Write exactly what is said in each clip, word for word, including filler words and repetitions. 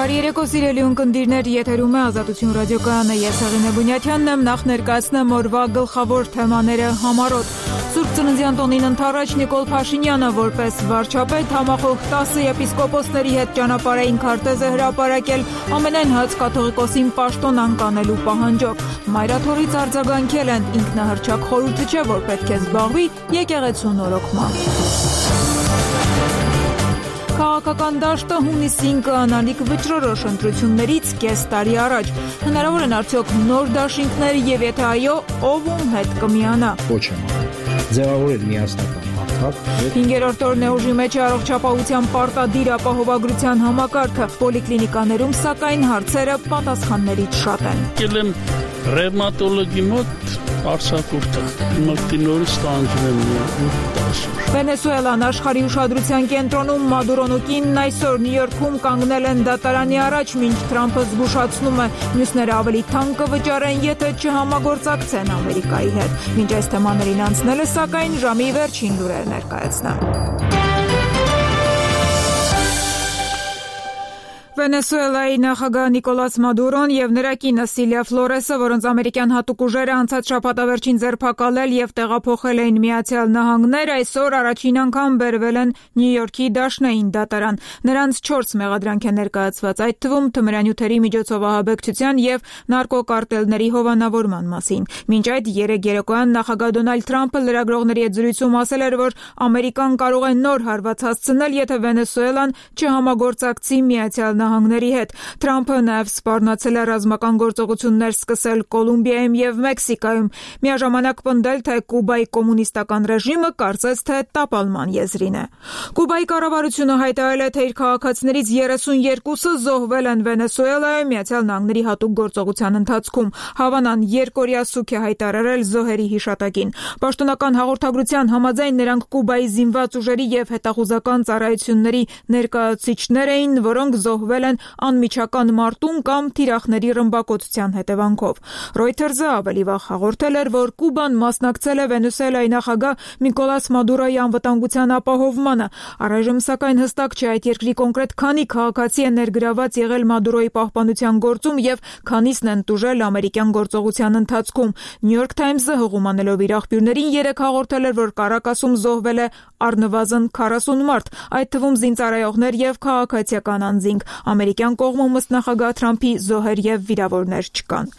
Բարի երեկո սիրելի ունկնդիրներ, եթերում է Ազատություն ռադիոկայանը, ես Հեղինե Բունյաթյանն եմ, նախ ներկայացնեմ օրվա գլխավոր թեմաները համառոտ։ Սուրբ Ծննդյան տոնին ընթառաջ Նիկոլ Փաշինյանը որպես վարչապետ համախոհ տասը եպիսկոպոսների հետ ճանապարհային քարտեզ է հրապարակել ամենայն հայ կաթողիկոսին պաշտոն անկանելու պահանջով։ Մայրաթորից արձագանքել են, ինքնահռչակ խորհուրդը չէ, որ պետք է զբաղվի եկեղեցու նորոգմամբ։ Քաղաքական դաշտը հունիսին կանալիք վճռորոշ ընտրություններից կես տարի առաջ։ Հնարավոր են արդյոք նոր դաշինքներ եւ եթե այո, ով ում հետ կմիանա։ Ոչ եմ ձևավորել միասնական հարթակ։ Հինգերորդ օրն է ուժի մեջ առողջապահության պարտադիր ապահովագրության համակարգը։ Պոլիկլինիկաներում սակայն հարցերը պատասխաններից շատ են։ Եկել եմ ռևմատոլոգի մոտ արցախուրտը, մտի նորից տանջում եմ տասուր։ Վենեսուելան աշխարհի ուշադրության կենտրոնում Մադուրոն ու կինն այսօր Նյու Յորքում կանգնել են դատարանի առաջ, մինչ Թրամփը զգուշացնում է, մյուսները ավելի թանկ կվճարեն, եթե չհամագործակցեն Ամերիկայի հետ։ Մինչ այս թեմաներին անցնելը, սակայն ժամի վերջին լուրեր ներկայացնեմ։ Վենեսուելայի նախագահ Նիկոլաս Մադուրոն եւ նրա կինը Սիլիա Ֆլորեսը, որոնց ամերիկյան հատուկ ուժերը անցած շաբաթավերջին ձերբակալել եւ տեղափոխել էին Միացյալ Նահանգներ, այսօր առաջին անգամ բերվել են Նյու Յորքի դաշնային դատարան։ Նրանց չորս մեղադրանք է ներկայացված, այդ թվում թմրանյութերի միջոցով ահաբեկչության եւ նարկոկարտելների հովանավորման մասին։ Մինչ այդ երեկ երեկոյան նախագահ Դոնալդ Թրամփը լրագրողների հետ զրույցում ասել էր, որ Ամերիկան կարող է նոր հարված հասցնել, եթե Վենեսուելան չհամագործակցի Միացյալ Նահանգների հետ։ Թրամփը նաև սպառնացել է ռազմական գործողություններ սկսել Կոլումբիայում եւ Մեքսիկայում, միաժամանակ պնդել, թե Կուբայի կոմունիստական ռեժիմը կարծես թե տապալման եզրին է։ Կուբայի կառավարությունը հայտարարել է, թե իր քաղաքացիներից երեսունյերկուսը զոհվել են Վենեսուելայում Միացյալ Նահանգների հատուկ գործողության ընթացքում։ Հավանան երկօրյա սուք է հայտարարել զոհերի հիշատակին։ Պաշտոնական հաղորդագրության համաձայն նրանք Կուբայի զինված ուժերի եւ հետախուզական ծառայությունների ներկայացուցիչներ էին, որոնք զոհվել են անմիջական մարտում կամ թիրախների ռմբակոծության հետևանքով։ Reuters-ը ավելի վաղ հաղորդել էր, որ Կուբան մասնակցել է Վենեսուելայի նախագահ Նիկոլաս Մադուրոյի անվտանգության ապահովմանը։ Առայժմ սակայն հստակ չէ այդ երկրի կոնկրետ քանի քաղաքացի է ներգրաված եղել Մադուրոյի պահպանության գործում եւ քանիսն են տուժել ամերիկյան գործողության ընթացքում։ New York Times-ը հղումանելով իր աղբյուրներին երեկ հաղորդել էր, որ Կարակասում զոհվել է առնվազն քառասուն մարդ, այդ թվում զինծառայողներ եւ քաղաքացիական անձինք։ Ամերիկյան կողմում ըստ նախագահ Թրամփի զոհեր եւ վիրավորներ չկան։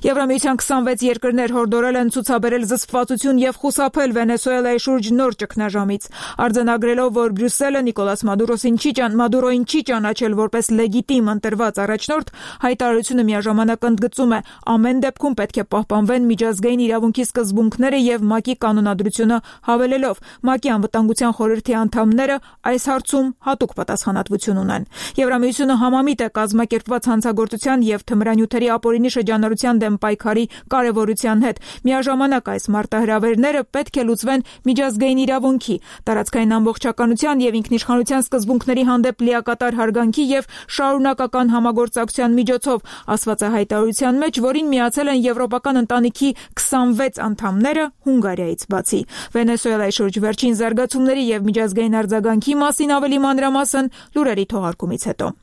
Եվրամիության քսանվեց երկրներ հորդորել են ցուցաբերել զսպվածություն եւ խուսափել Վենեսուելայի շուրջ նոր ճգնաժամից, արձանագրելով, որ Բրյուսելը Նիկոլաս Մադուրոսին չի ճան Մադուրոին չի ճանաչել որպես լեգիտիմ ընտրված առաջնորդ, հայտարարությունը միաժամանակ ընդգծում է, ամեն դեպքում պետք է պահպանվեն միջազգային իրավունքի սկզբունքները եւ ՄԱԿ-ի կանոնադրությունը հավելելով, ՄԱԿ-ի անվտանգության խորհրդի անդամները այս հարցում հատուկ պատասխանատվություն ունեն։ Եվրամիությունը համամիտ է կազմակերպված հանցագործության եւ թմրանյութերի ապօրինի շրջանառության դեմ պայքարի կարեւորության հետ։ Միաժամանակ այս մարտահրավերները պետք է լուծվեն միջազգային իրավունքի, տարածքային ամբողջականության եւ ինքնիշխանության սկզբունքների հանդեպ լիակատար հարգանքի եւ շարունակական համագործակցության միջոցով, ասված է հայտարարության մեջ, որին միացել են եվրոպական ընտանիքի քսանվեց անդամները Հունգարիայից բացի։ Վենեսուելայի շուրջ վերջին զարգացումների եւ միջազգային արձագանքի մասին ավելի մանրամասն լուրերի թողարկումից հետո։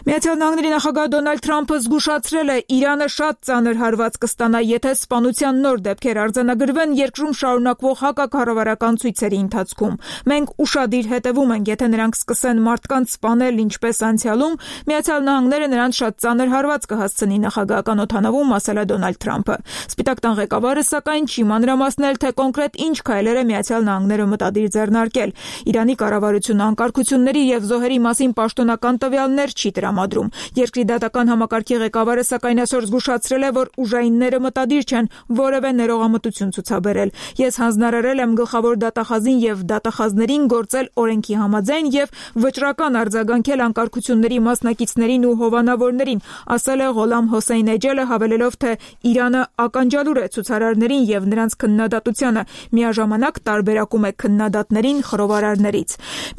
Միացյալ Նահանգների նախագահ Դոնալդ Թրամփը զգուշացրել է, Իրանը շատ ծանր հարված կստանա, եթե սպանության նոր դեպքեր արձանագրվեն երկրում շարունակվող հակակառավարական ցույցերի ընթացքում։ Մենք ուշադիր հետևում ենք, եթե նրանք սկսեն մարդկանց սպանել ինչպես անցյալում, Միացյալ Նահանգները նրանց շատ ծանր հարված կհասցնի, նախագահական օդանավում ասել է Դոնալդ Թրամփը։ Սպիտակ տան ղեկավարը սակայն չի մանրամասնել, թե կոնկրետ ինչ քայլեր է Միացյալ Նահանգները մտադիր ձեռնարկել։ Իրանի կառավարությունը անկարգությունների եւ զոհերի մասին պաշտոնական տվյալներ չի տրամադրում։ Երկրի դատական համակարգի ղեկավարը սակայն այսօր զգուշացրել է, որ ուժայինները մտադիր չեն որևէ ներողամտություն ցուցաբերել։ Ես հանձնարարել եմ գլխավոր դատախազին եւ դատախազներին գործել օրենքի համաձայն եւ վճռական արձագանքել անկարգությունների մասնակիցներին ու հովանավորներին, ասել է Ղոլամ Հոսեյն Էջելը, հավելելով, թե Իրանը ականջալուր է ցուցարարներին եւ նրանց քննադատությանը, միաժամանակ տարբերակում է քննադատներին խռովարարներից։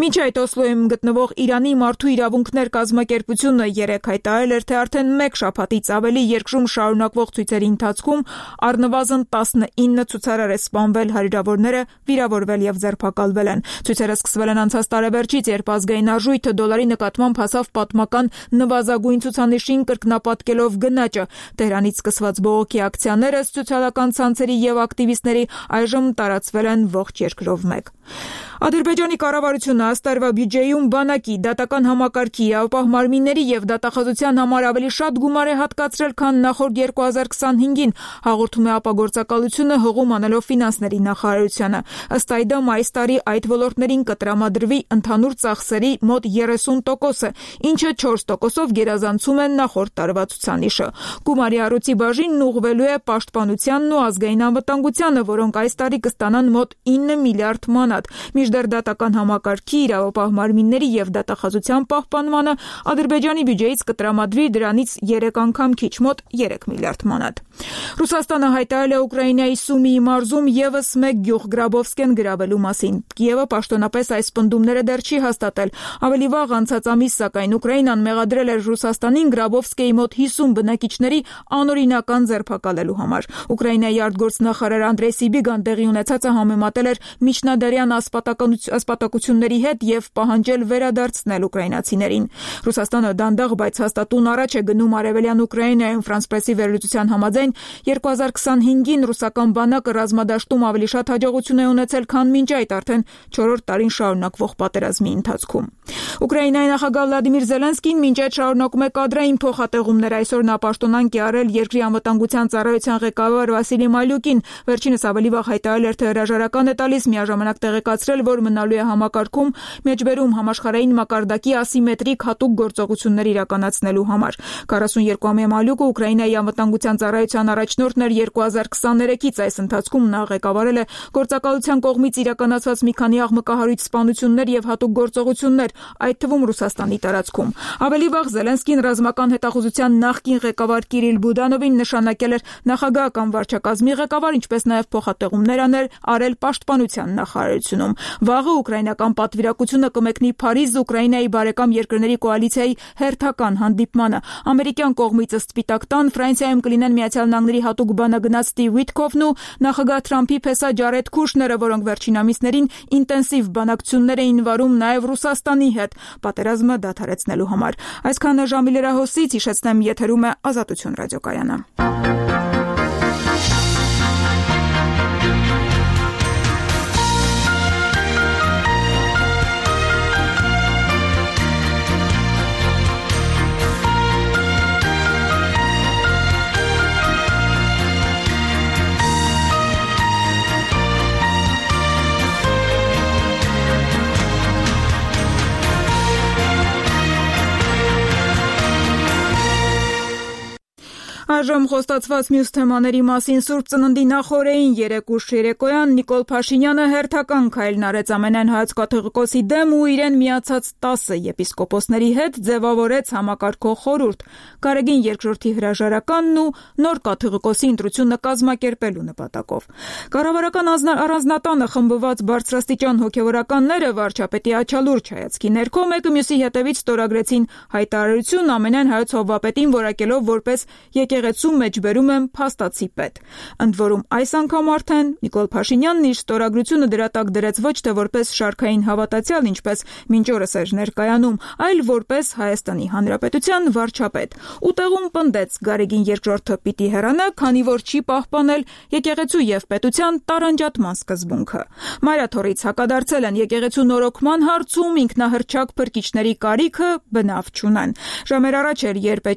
Մինչ այդ Օսլոյում գտնվող Իրանի մարդու իրավունքներ կազմակերպությունը կառավարությունը երեկ հայտարարել էր, թե արդեն մեկ շաբաթից ավելի երկրում շարունակվող ցույցերի ընթացքում առնվազն տասնինը ցուցարար է սպանվել, հարյուրավորները վիրավորվել եւ ձերբակալվել են։ Ցույցերը սկսվել են անցած տարեվերջից, երբ ազգային արժույթը դոլարի նկատմամբ հասավ պատմական նվազագույն ցուցանիշին, կրկնապատկելով գնաճը։ Տեհրանից սկսված բողոքի ակցիաները սոցիալական ցանցերի եւ ակտիվիստների այժմ տարածվել են ողջ երկրով մեկ։ Ադրբեջանի կառավարությունը ըստ տարվա բյուջեում բանակի, դատական համակարգի, իրավապահ մարմինների եւ դատախազության համար ավելի շատ գումար է հատկացրել, քան նախորդ երկու հազար քսանհինգին, հաղորդում է ապագործակալությունը հղում անելով ֆինանսների նախարարությանը։ Ըստ այդմ այս տարի այդ ոլորտներին կտրամադրվի ընդհանուր ծախսերի մոտ երեսուն տոկոսը, ինչը չորս տոկոսով գերազանցում է նախորդ տարվա ցուցանիշը։ Գումարի առույցի բաժինն ուղղվելու է պաշտպանությանն ու ազգային անվտանգությանը, որոնք այս տարի կստանան մոտ ինը միլիարդ մանատ։ Մինչդեռ դատական համակարգի, իրավապահ մարմինների եւ դատախազության պահպանմանը Ադրբեջանի բյուջեից կտրամադրվի դրանից երեք անգամ քիչ, մոտ երեք միլիարդ մանատ։ Ռուսաստանը հայտարարել է Ուկրաինայի Սումիի մարզում եւս մեկ գյուղ Գրաբովսկեն գրավելու մասին։ Կիևը պաշտոնապես այս պնդումները դեռ չի հաստատել։ Ավելի վաղ անցած ամիս, սակայն Ուկրաինան մեղադրել էր Ռուսաստանին Գրաբովսկեի մոտ հիսուն բնակիչների անօրինական ձերբակալելու համար։ Ուկրաինայի արտգործնախարար Անդրեյ Սիբիգան տեղի ունեցածը համեմատել էր միջնադարյան ասպատակությունների հետ եւ պահանջել վերադարձնել ուկրաինացիներին։ Ռուսաստանը դանդաղ, բայց հաստատուն առաջ է գնում արևելյան Ուկրաինայում։ Ֆրանս Պրեսի վերլուծության համաձայն երկու հազար քսանհինգին ռուսական բանակը ռազմադաշտում ավելի շատ հաջողություն է ունեցել, քան մինչ այդ արդեն չորրորդ տարին շարունակվող պատերազմի ընթացքում։ Ուկրաինայի նախագահ Վլադիմիր Զելենսկին մինչ այդ շարունակում է կադրային փոխհատեղումներ։ Այսօր նա պաշտոնանկ է արել երկրի անվտանգության ծառայության ղեկավար Վասիլի Մալյուկին։ Վերջինս ավելի վաղ հայտարարել էր, թե հրաժարական է տալիս, միաժամանակ տեղեկացրել, որ մնալու է համակարգում մեջբերում համաշխարհային մակարդակի ասիմետրիկ հատուկ գործողություններ իրականացնելու համար։ քառասունյոթամյա Մալյուկը Ուկրաինայի անվտանգության ծառայության առաջնորդն էր երկու հազար քսաներեքից։ Այս ընթացքում նա ղեկավարել է գործակալության կողմից իրականացված մի քանի աղմկահարույց սպանություններ եւ հատուկ գործողություններ, այդ թվում Ռուսաստանի տարածքում։ Ավելի վաղ Զելենսկին ռազմական հետախուզության նախկին ղեկավար Կիրիլ Բուդանովին նշանակել էր նախագահական վարչակազմի ղեկավար, ինչպես նաեւ փոխհատեղումներ անել արել պաշտպանության նախարարությունում։ Վաղը ուկրաինական պատվիրակությունը կմեկնի Փարիզ Ուկրաինայի բարեկամ երկրների կոալիցիայի հերթական հանդիպմանը։ Ամերիկյան կողմից ըստ Սպիտակ տան Ֆրանսիայում կլինեն Միացյալ Նահանգների հատուկ բանագնաց Սթիվ Ուիթքոֆն ու նախագահ Թրամփի փեսա Ջարեդ Քուշները, որոնք վերջին ամիսներին ինտենսիվ բանակցություններ էին վարում նաև Ռուսաստանի հետ պատերազմը դադարեցնելու համար։ Այսքանը ժամի լրահոսից, հիշեցնեմ, եթերում է Ազատություն ռադիոկայանը։ Այժմ խոստացված մյուս թեմաների մասին Սուրբ Ծննդի նախօրեին երեկ ուշ երեկոյան Նիկոլ Փաշինյանը հերթական քայլն արեց ամենայն հայոց կաթողիկոսի դեմ ու իրեն միացած տասը եպիսկոպոսների հետ ձևավորեց համակարգող խորհուրդ, Գարեգին երկրորդի հրաժարականն ու նոր կաթողիկոսի ընտրությունը կազմակերպելու նպատակով։ Կառավարական առանձնատանը խմբված բարձրաստիճան հոգևորականները վարչապետի աչալուրջ հայացքի ներքո մեկը մյուսի հետևից ստորագրեցին հայտարարություն ամենայն հայոց հովվապետին որակելով որպես եկեղեցու մեջբերում եմ փաստացի պետ։ Ընդ որում այս անգամ արդեն Նիկոլ Փաշինյանն իր ստորագրությունը դրա տակ դրեց ոչ թե որպես շարքային հավատացյալ, ինչպես մինչ օրս էր ներկայանում, այլ որպես Հայաստանի Հանրապետության վարչապետ։ Ուտեղում պնդեց Գարեգին երկրորդը պիտի հեռանա, քանի որ չի պահպանել եկեղեցու եւ պետության տարանջատման սկզբունքը։ Մայրաթորից հակադարձել են եկեղեցու նորոգման հարցում ինքնահռչակ փրկիչների կարիքը բնավ չունեն։ Ժամեր առաջ էր, երբ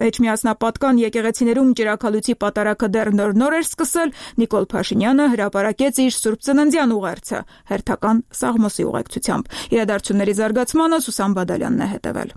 Էջմիածնապատկան եկեղեցիներում ճրագալույցի պատարակը դեռ նոր-նոր էր սկսել, Նիկոլ Փաշինյանը հրապարակեց իր Սուրբ Ծննդյան ուղերձը հերթական Սաղմոսի ուղեկցությամբ։ Իրադարձությունների զարգացմանը Սուսան Բադալյանն է հետևել։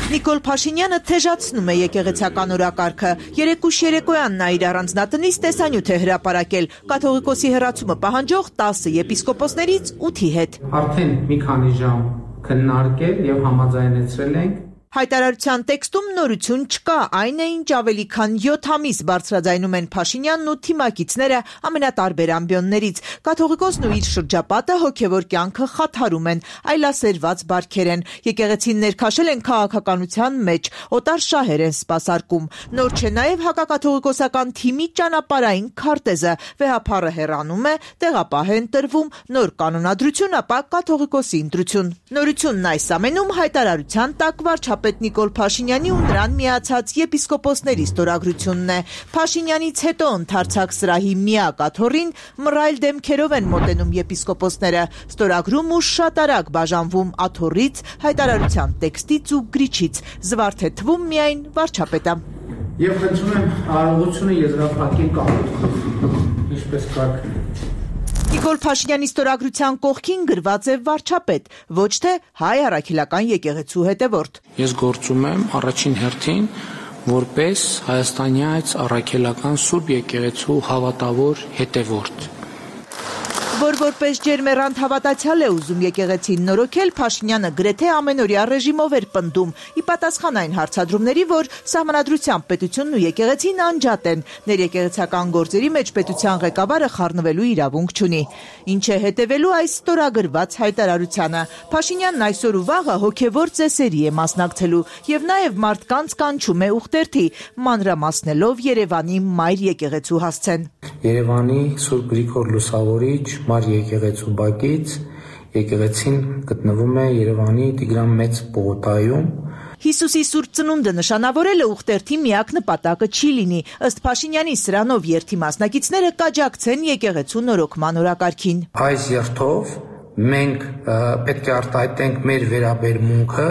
Նիկոլ Փաշինյանը թեժացնում է եկեղեցական օրակարգը։ Երեկուշ երեկոյան նա իր առանձնատնից տեսանյութ է հրապարակել կաթողիկոսի հեռացումը պահանջող տասը եպիսկոպոսներից ութի հետ։ Արդեն մի քանի ժամ քննարկել եւ համաձայնեցրել ենք Հայտարարության տեքստում նորություն չկա, այն է ինչ ավելի քան յոթ ամիս բարձրաձայնում են Փաշինյանն ու թիմակիցները ամենատարբեր ամբիոններից։ Կաթողիկոսն ու իր շրջապատը հոգևոր կյանքը խաթարում են, այլասերված բարքեր են, եկեղեցին ներքաշել են քաղաքականության մեջ, օտար շահեր են սպասարկում։ Նոր չէ նաև հակակաթողիկոսական թիմի ճանապարհային քարտեզը, վեհափառը հեռանում է, տեղապահ են տրվում, նոր կանոնադրություն, ապա կաթողիկոսի ընտրություն։ Նորությունն այս ամենում հայտարարության տակ վարչապետ Նիկոլ Փաշինյանի ու նրան միացած եպիսկոպոսների ստորագրությունն է։ Փաշինյանից հետո ընդարձակ սրահի միակ աթոռին մռայլ դեմքերով են մոտենում եպիսկոպոսները, ստորագրում ու շատ արագ բաժանվում աթոռից, հայտարարության տեքստից ու գրիչից, զվարթ է թվում միայն վարչապետը։ Եվ խնդրում եմ արարողությունը եզրափակել կապիտալ, ինչպես կարգն է։ Նիկոլ Փաշինյանի ստորագրության կողքին գրված է վարչապետ, ոչ թե հայ առաքելական եկեղեցու հետևորդ։ Ես գործում եմ առաջին հերթին որպես հայաստանյաց առաքելական Սուրբ եկեղեցու հավատավոր հետևորդ։ Որ որպես ջերմեռանդ հավատացյալ է ուզում եկեղեցին նորոգել, Փաշինյանը գրեթե ամենօրյա ռեժիմով էր պնդում, ի պատասխան այն հարցադրումների, որ Սահմանադրությամբ պետությունն ու եկեղեցին անջատ են, ներեկեղեցական գործերի մեջ պետության ղեկավարը խառնվելու իրավունք չունի։ Ինչ է հետևելու այս ստորագրված հայտարարությանը։ Փաշինյանն այսօր ու վաղը հոգևոր ծեսերի է մասնակցելու եւ նաեւ մարդկանց կանչում է ուխտերթի, մանրամասնելով Երևանի մայր եկեղեցու հասցեն։ Երևանի Սուրբ Գրիգոր Լուսավորիչ Մար եկեղեցու բակից եկեղեցին գտնվում է Երևանի Տիգրան Մեծ պողոտայում։ Հիսուսի Սուրբ Ծնունդը նշանավորելը ուխտերթի միակ նպատակը չի լինի, ըստ Փաշինյանի սրանով երթի մասնակիցները կաջակցեն եկեղեցու նորոգման օրակարգին։ Այս երթով մենք պետք է արտահայտենք մեր վերաբերմունքը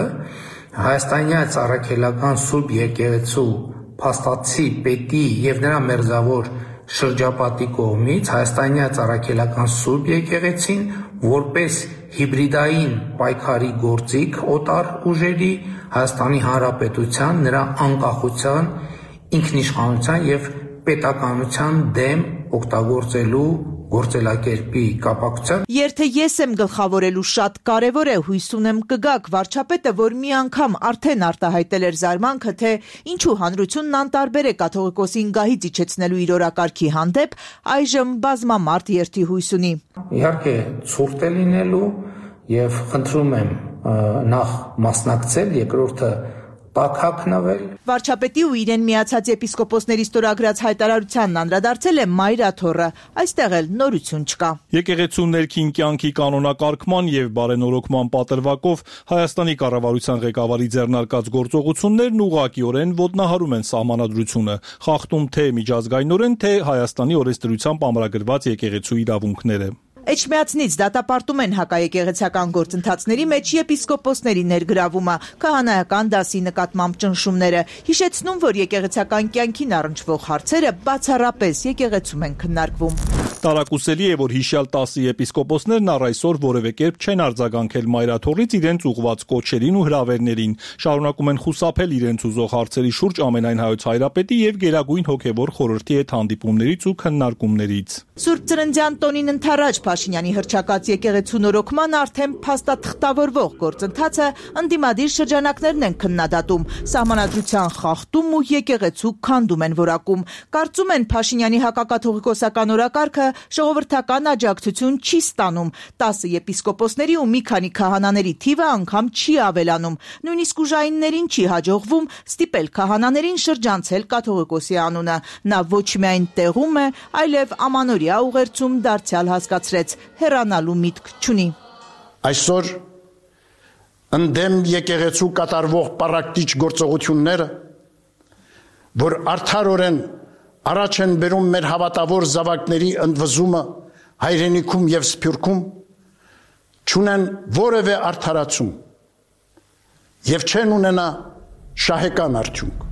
հայաստանյաց առաքելական Սուրբ եկեղեցու փաստացի պետի եւ նրա մերձավոր շրջապատի կողմից հայաստանյաց առաքելական Սուրբ եկեղեցին որպես հիբրիդային պայքարի գործիք օտար ուժերի Հայաստանի Հանրապետության նրա անկախության, ինքնիշխանության եւ պետականության դեմ օգտագործելու գործելակերպի կապակցությամբ Երթը ես եմ գլխավորելու շատ կարևոր է, հույս ունեմ կգաք վարչապետը, որ մի անգամ արդեն արտահայտել էր զարմանքը, թե ինչու հանրությունն անտարբեր է կաթողիկոսին գահից իջեցնելու իր օրակարգի հանդեպ, այժմ բազմամարդ երթի հույս ունի։ Իհարկե ցուրտ է լինելու եւ խնդրում եմ նախ մասնակցել, երկրորդը Պակհակնվել Վարչապետի ու իրեն միացած եպիսկոպոսների ստորագրած հայտարարությանն անդրադարձել է Մայր աթոռը, այստեղ էլ նորություն չկա։ Եկեղեցու ներքին կյանքի կանոնակարգման եւ բարենորոգման պատրվակով Հայաստանի կառավարության ղեկավարի ձեռնարկած գործողություններն ուղղակիորեն ոտնահարում են սահմանադրությունը, խախտում թե միջազգայինորեն, թե Հայաստանի օրենսդրությամբ ամրագրված եկեղեցու իրավունքները։ Էջմիածնից դատապարտում են հակաեկեղեցական գործընթացների մեջ եպիսկոպոսների ներգրավումը, քահանայական դասի նկատմամբ ճնշումները, հիշեցնում, որ եկեղեցական կյանքին առնչվող հարցերը բացառապես եկեղեցում են քննարկվում։ Տարակուսելի է, որ հիշյալ տասը եպիսկոպոսներն առ այսօր որևէ կերպ չեն արձագանքել Մայր աթոռից իրենց ուղղված կոչերին ու հրավերներին, շարունակում են խուսափել իրենց ուզող հարցերի շուրջ ամենայն հայոց հայրապետի եւ Գերագույն հոգեվոր խորհրդի հետ հանդիպումներից ու քննարկումներից։ Սուրբ Ծննդյան տոնին ընդառաջ Փաշինյանի հռչակած եկեղեցու նորոգման արդեն փաստաթղթավորվող գործընթացը ընդդիմադիր շրջանակներն են քննադատում, սահմանադրության խախտում ու եկեղեցու քանդում են որակում։ Կարծում են Փաշինյանի հակակաթողիկոսական օրակարգը ժողովրդական աջակցություն չի ստանում, տասը եպիսկոպոսների ու մի քանի քահանաների թիվը անգամ չի ավելանում, նույնիսկ ուժայիններին չի հաջողվում ստիպել քահանաներին շրջանցել կաթողիկոսի անունը։ Նա ոչ միայն տեղում է, այլև ամանորյա ուղերձում դարձյալ հասկացրեց, հեռանալու միտք չունի։ Այսօր ընդդեմ եկեղեցու կատարվող պարակտիչ գործողությունները, որ արդարորեն առաջ են բերում մեր հավատավոր զավակների ընդվզումը հայրենիքում եւ սփյուռքում, չունեն որևէ արդարացում եւ չեն ունենա շահեկան արդյունք։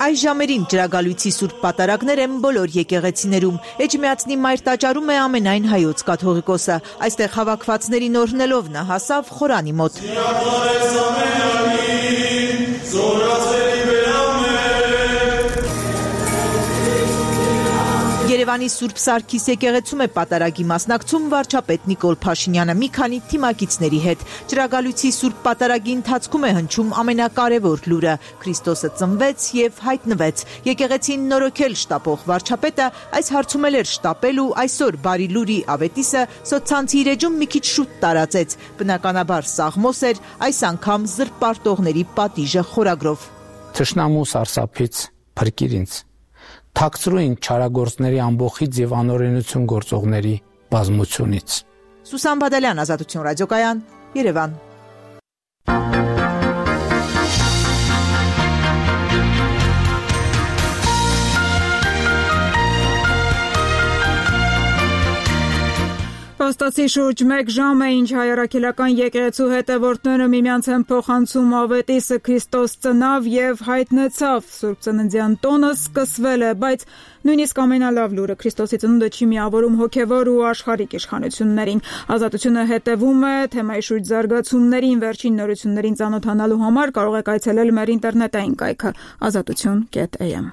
Այս ժամերին ջրագալույցի սուրբ պատարագներ են բոլոր եկեղեցիներում։ Էջմիածնի Մայր տաճարում է ամենայն հայոց կաթողիկոսը։ Այստեղ հավաքվածներին օրհնելով նա հասավ խորանի մոտ։ Երևանի Սուրբ Սարգիս եկեղեցում է պատարագի մասնակցում վարչապետ Նիկոլ Փաշինյանը մի քանի թիմակիցների հետ։ Ճրագալույցի Սուրբ պատարագի ընթացքում է հնչում ամենակարևոր լուրը՝ Քրիստոսը ծնվեց եւ հայտնվեց։ Եկեղեցին նորոգել շտապող վարչապետը այս հարցում էլ էր շտապել ու այսօր բարի լուրի ավետիսը սոցցանցի իր էջում մի քիչ շուտ տարածեց։ Բնականաբար սաղմոս էր, այս անգամ զրպարտողների պատիժը խորագրով։ Թշնամու սարսափից փրկիր ինձ, թաքցրու ինձ չարագործների ամբոխից եւ անօրենություն գործողների բազմությունից։ Սուսան Բադալյան, Ազատություն ռադիոկայան, Երևան։ Փաստացի շուրջ մեկ ժամ է, ինչ հայրաքելական եկեղեցու հետևորդները միմյանց են փոխանցում ավետիսը Քրիստոս ծնավ եւ հայտնեցավ։ Սուրբ Ծննդյան տոնը սկսվել է, բայց նույնիսկ ամենալավ լուրը Քրիստոսի ծնունդը չի միավորում հոգևոր ու աշխարհիկ իշխանություններին։ Ազատությունը հետևում է թեմայի շուրջ զարգացումներին, վերջին նորություններին ծանոթանալու համար կարող եք այցելել մեր ինտերնետային կայքը ազատություն կետ էյ էմ։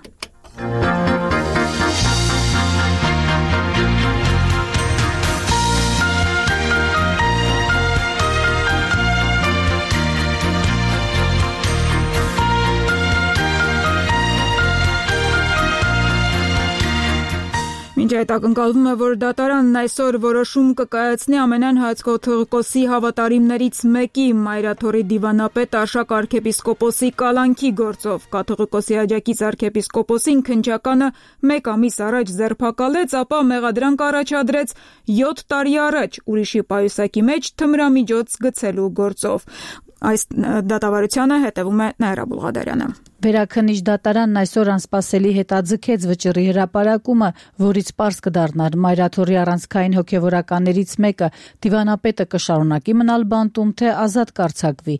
Մինչ այդ ակնկալվում է, որ դատարանն այսօր որոշում կկայացնի ամենայն հայոց կաթողիկոսի հավատարիմներից մեկի Մայրաթորի դիվանապետ Արշակ arczepiskopos-ի կալանքի գործով։ Կաթողիկոսի աջակից arczepiskopos-ին քննչականը մեկ ամիս առաջ ձերբակալեց, ապա մեղադրանք առաջադրեց յոթ տարի առաջ ուրիշի պայուսակի մեջ թմրամիջոց գցելու գործով։ Այս դատավարությանը հետևում է Նաիրա Բուլղադարյանը։ Վերաքննիչ դատարանն այսօր անսպասելի հետաձգեց վճռի հրապարակումը, որից պարզ կդառնար Մայրաթորի առանցքային հոգևորականներից մեկը դիվանապետը կշարունակի մնալ բանտում, թե ազատ կարձակվի։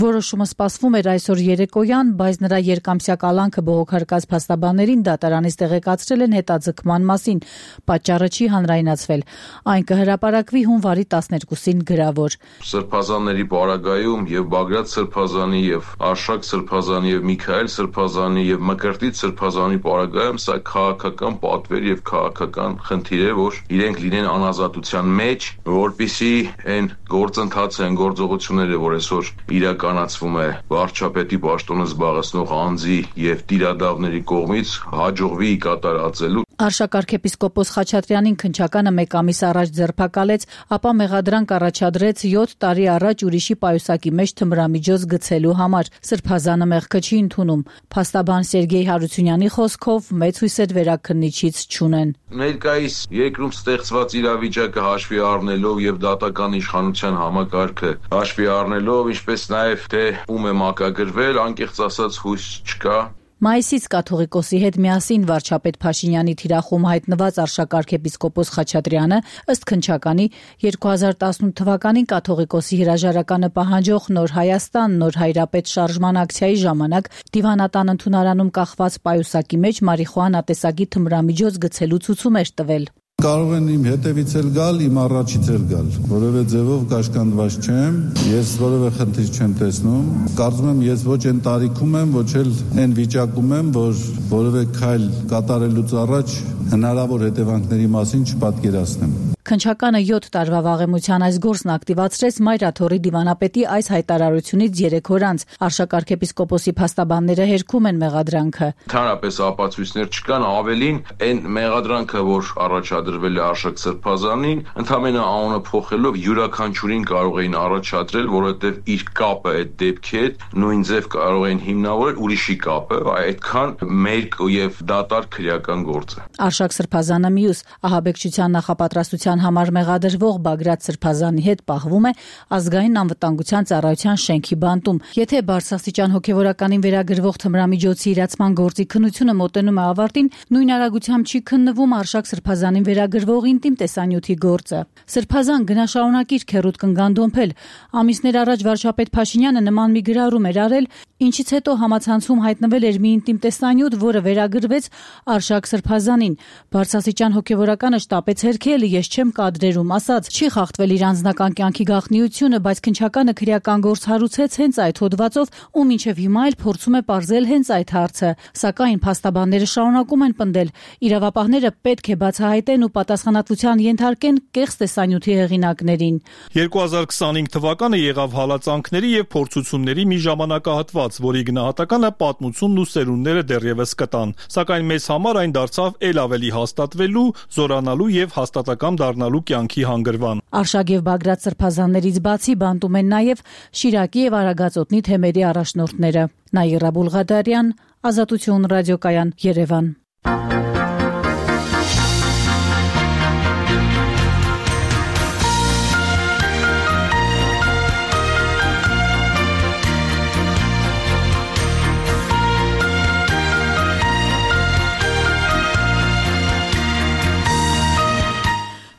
Որոշումը սպասվում էր այսօր երեկոյան, բայց նրա երկամսյա կալանքը բողոքարկած փաստաբաններին դատարանից տեղեկացրել են հետաձգման մասին։ Պատճառը չի հանրայնացվել։ Այն կհրապարակվի հունվարի տասներկուսին գրավոր։ Սրբազանների պարագայում եւ Բագրատ Սրբազանի եւ Արշակ Սրբազանի եւ Միքայել Սրբազանի եւ Մկրտիչ Սրբազանի պարագայում սա քաղաքական պատվեր եւ քաղաքական խնդիր է, որ իրենք լինեն անազատության մեջ, որպիսի այն գործընթացը, այն գործողությունները, որ այսօր իրականացվում է վարչապետի պաշտոնը զբաղեցնող անձի եւ տիրադավների կողմից, հաջողվի կատարածելու։ Արշակ arczepiskopos Խաչատրյանին քննչականը մեկ ամիս առաջ ձերբակալեց, ապա մեղադրանք առաջադրեց յոթ տարի առաջ ուրիշի պայուսակի մեջ թմրամիջոց գցելու համար։ Սրբազանը մեղքը չի ընդունում։ Փաստաբան Սերգեյ Հարությունյանի խոսքով մեծ հույսեր վերաքննիչից չունեն։ Ներկայիս երկրում ստեղծված իրավիճակը հաշվի առնելով եւ դատական իշխանության համակարգը հաշվի առնելով, ինչպես նաեւ թե ում է մակագրվել, անկեղծ ասած հույս չկա։ Մայիսից կաթողիկոսի հետ միասին վարչապետ Փաշինյանի թիրախում հայտնված Արշակ arczepiskopos Խաչատրյանը ըստ քննչականի երկու հազար տասնութ թվականին կաթողիկոսի հրաժարականը պահանջող Նոր Հայաստան Նոր Հայրապետ շարժման ակցիայի ժամանակ դիվանատան ընդունարանում կախված պայուսակի մեջ մարիխուանա տեսակի թմրամիջոց գցելու ցուցում էր տվել։ Կարող են իմ հետևից էլ գալ, իմ առաջից էլ գալ, որևէ ձևով կաշկանդված չեմ, ես որևէ խնդիր չեմ տեսնում, կարծում եմ ես ոչ այն տարիքում եմ, ոչ էլ այն վիճակում եմ, որ որևէ քայլ կատարելուց առաջ հնարավոր հետևանքների մասին չպատկերացնեմ։ Քննչականը յոթ տարվա վաղեմության այս գործն ակտիվացրեց Մայրաթորի դիվանապետի այս հայտարարությունից երեք օր անց։ Արշակ arczepiskopos-ի փաստաբանները հերքում են մեղադրանքը։ Ընդհանրապես ապացույցներ չկան, ավելին այն մեղադրանքը, որ առաջադրվել է Արշակ Սրբազանին, ընդհանրապես անունը փոխելով յուրաքանչյուրին կարող էին առաջադրել, որովհետև իր կապը այդ դեպքի հետ նույն ձև կարող էին հիմնավորել ուրիշի կապը, այդքան մերկ եւ դատարկ քրեական գործ է։ Արշակ Սրբազանը մյուս ահաբեկչության նախապատրաստության համար մեղադրվող Բագրատ Սրբազանի հետ պահվում է ազգային անվտանգության ծառայության շենքի բանտում։ Եթե բարձրաստիճան հոգևորականին վերագրվող թմրամիջոցի իրացման գործի քննությունը մոտենում է ավարտին, նույն արագությամբ չի քննվում Արշակ Սրբազանին վերագրվող ինտիմ տեսանյութի գործը։ Սրբազան գնաշարունակիր քերուտ կնգանդոմփել։ Ամիսներ առաջ վարչապետ Փաշինյանը նման մի գրառում էր արել, ինչից հետո համացանցում հայտնվել էր մի ինտիմ տեսանյութ, որը վերագրվեց Արշակ Սրբազանին։ Բարձրաստիճան հոգևորականը շտապեց հերքել, ես չեմ կադրերում ասաց, չի խախտվել իր անձնական կյանքի գաղտնիությունը, բայց քննչականը քրեական գործ հարուցեց հենց այդ հոդվածով, ու մինչև հիմա էլ փորձում է պարզել հենց այդ հարցը։ Սակայն փաստաբանները շարունակում են պնդել, իրավապահները պետք է բացահայտեն ու պատասխանատվության ենթարկեն կեղծ տեսանյութի հեղինակներին։ երկու հազար քսանհինգ թվականը եղավ հալածանքների եւ փորձությունների մի ժամանակահատված, որի գնահատականը պատմությունն ու սերունդները դեռևս կտան, սակայն մեզ համար այն դարձավ ել ավելի հաստատվելու, զորանալու եւ հաստատակամ դառնալու կյանքի հանգրվան։ Արշակ եւ Բագրատ Սրբազաններից բացի բանտում են նաեւ Շիրակի եւ Արագածոտնի թեմերի առաջնորդները։ Նաիրա Բուլղադարյան, Ազատություն ռադիոկայան, Երևան։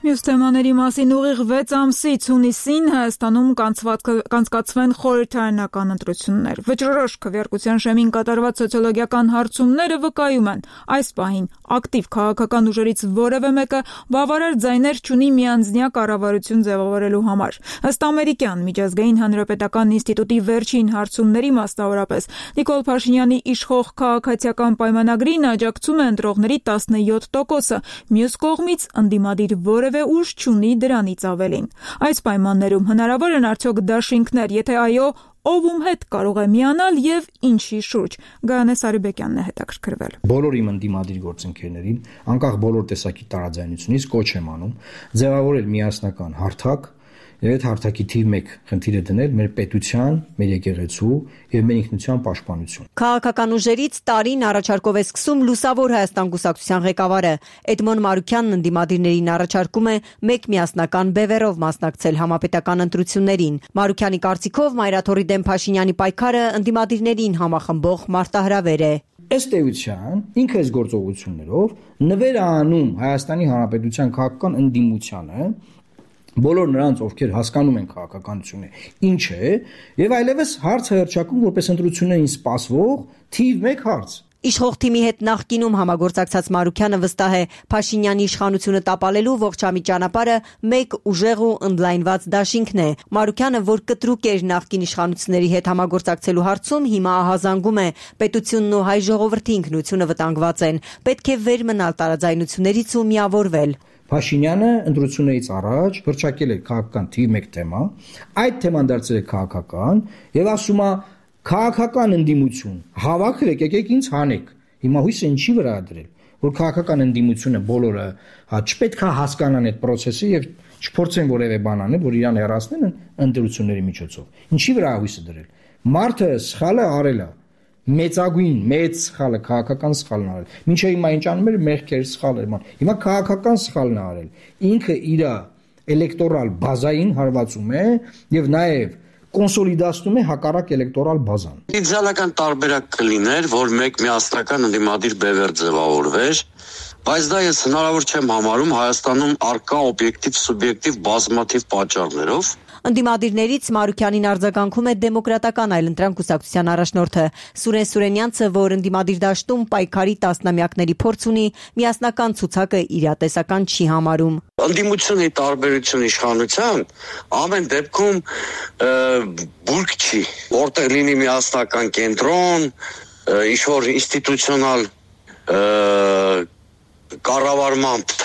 Մյուս թեմաների մասին ուղիղ վեց ամսից հունիսին Հայաստանում կանցկացվեն խորհրդարանական ընտրություններ։ Վճռորոշ քվեարկության շեմին կատարված սոցիոլոգիական հարցումները վկայում են, այս պահին ակտիվ քաղաքական ուժերից որևէ մեկը բավարար ձայներ չունի միանձնյա կառավարություն ձևավորելու համար։ Ըստ ամերիկյան միջազգային հանրապետական ինստիտուտի վերջին հարցումների, մասնավորապես Նիկոլ Փաշինյանի իշխող քաղաքացիական պայմանագրին աջակցում է ընտրողների տասնյոթ տոկոսը, մյուս կողմից ընդդիմադիր որևէ ուժ չունի դրանից ավելին։ Այս պայմաններում հնարավոր են արդյոք դաշինքներ, եթե այո, ով ում հետ կարող է միանալ եւ ինչի շուրջ։ Գայանե Սարիբեկյանն է հետաքրքրվել։ Բոլոր իմ ընդդիմադիր գործընկերներին, անկախ բոլոր տեսակի տարաձայնությունից կոչ եմ անում ձևավորել միասնական հարթակ եւ այդ հարթակի թիվ մեկ խնդիրը դնել մեր պետության, մեր եկեղեցու եւ մեր ինքնության պաշտպանություն։ Քաղաքական ուժերից տարին առաջարկով է սկսում Լուսավոր Հայաստան կուսակցության ղեկավարը Էդմոն Մարուքյանն ընդդիմադիրներին առաջարկում է մեկ միասնական բևեռով մասնակցել համապետական ընտրություններին։ Մարուքյանի կարծիքով Մայրաթորի դեմ Փաշինյանի պայքարը ընդդիմադիրներին համախմբող մարտահրավեր է։ Ըստ էության, ինքը այս գործողություններով նվեր է անում Հայաստանի Հանրապետության քաղաքական ընդդիմությանը, բոլոր նրանց, ովքեր հասկանում են քաղաքականությունը ինչ է, եւ այլևս հարց հրճակում որպես ընտրություններին սպասվող թիվ մեկ հարց։ Իշխող թիմի հետ նախկինում համագործակցած Մարուքյանը վստահ է Փաշինյանի իշխանությունը տապալելու ողջամի ճանապարհը մեկ ուժեղ ու ընդլայնված դաշինքն է։ Մարուքյանը, որ կտրուկ էր նախկին իշխանությունների հետ համագործակցելու հարցում, հիմա ահազանգում է պետությունն ու հայ ժողովրդի ինքնությունը վտանգված են։ Պետք է վեր մնալ տարաձայնություններից ու միավորվել։ Փաշինյանը ընտրություններից առաջ հրճակել է քաղաքական թիվ մեկ թեմա, այդ թեման դարձել է քաղաքական եւ ասում է քաղաքական ընդդիմություն, հավաքեք, եկեք ինձ հանեք։ Հիմա հույսը ինչի վրա է դրել, որ քաղաքական ընդդիմությունը բոլորը հա չպետք է հասկանան այդ process-ը եւ չփորձեն որևէ բան անել, որ իրան հեռացնեն ընտրությունների միջոցով։ Ինչի վրա է հույսը դրել։ Մարդը սխալը արել է, մեծագույն մեծ սխալը քաղաքական սխալն արել։ Մինչև հիմա ինչ անում էր մեղքեր սխալ էր, հիմա քաղաքական սխալն է արել։ Ինքը իր էլեկտորալ բազային հարվածում է եւ նաեւ կոնսոլիդացնում է հակառակ էլեկտորալ բազան։ Իդեալական տարբերակ կլիներ, որ մեկ միասնական ընդդիմադիր բևեռ ձևավորվեր, բայց դա ես հնարավոր չեմ համարում Հայաստանում արկա օբյեկտիվ սուբյեկտիվ բազմաթիվ պատճառներով։ Ընդդիմադիրներից Մարուքյանին արձագանքում է դեմոկրատական այլընտրանք կուսակցության առաջնորդը Սուրեն Սուրենյանցը, որ ընդդիմադիր դաշտում պայքարի տասնամյակների փորձ ունի, միասնական ցուցակը իրատեսական չի համարում։ Ընդդիմությունի տարբերություն իշխանության ամեն դեպքում բուրգ չի, որտեղ լինի միասնական կենտրոն, ինչ-որ ինստիտուցիոնալ կառավարմամբ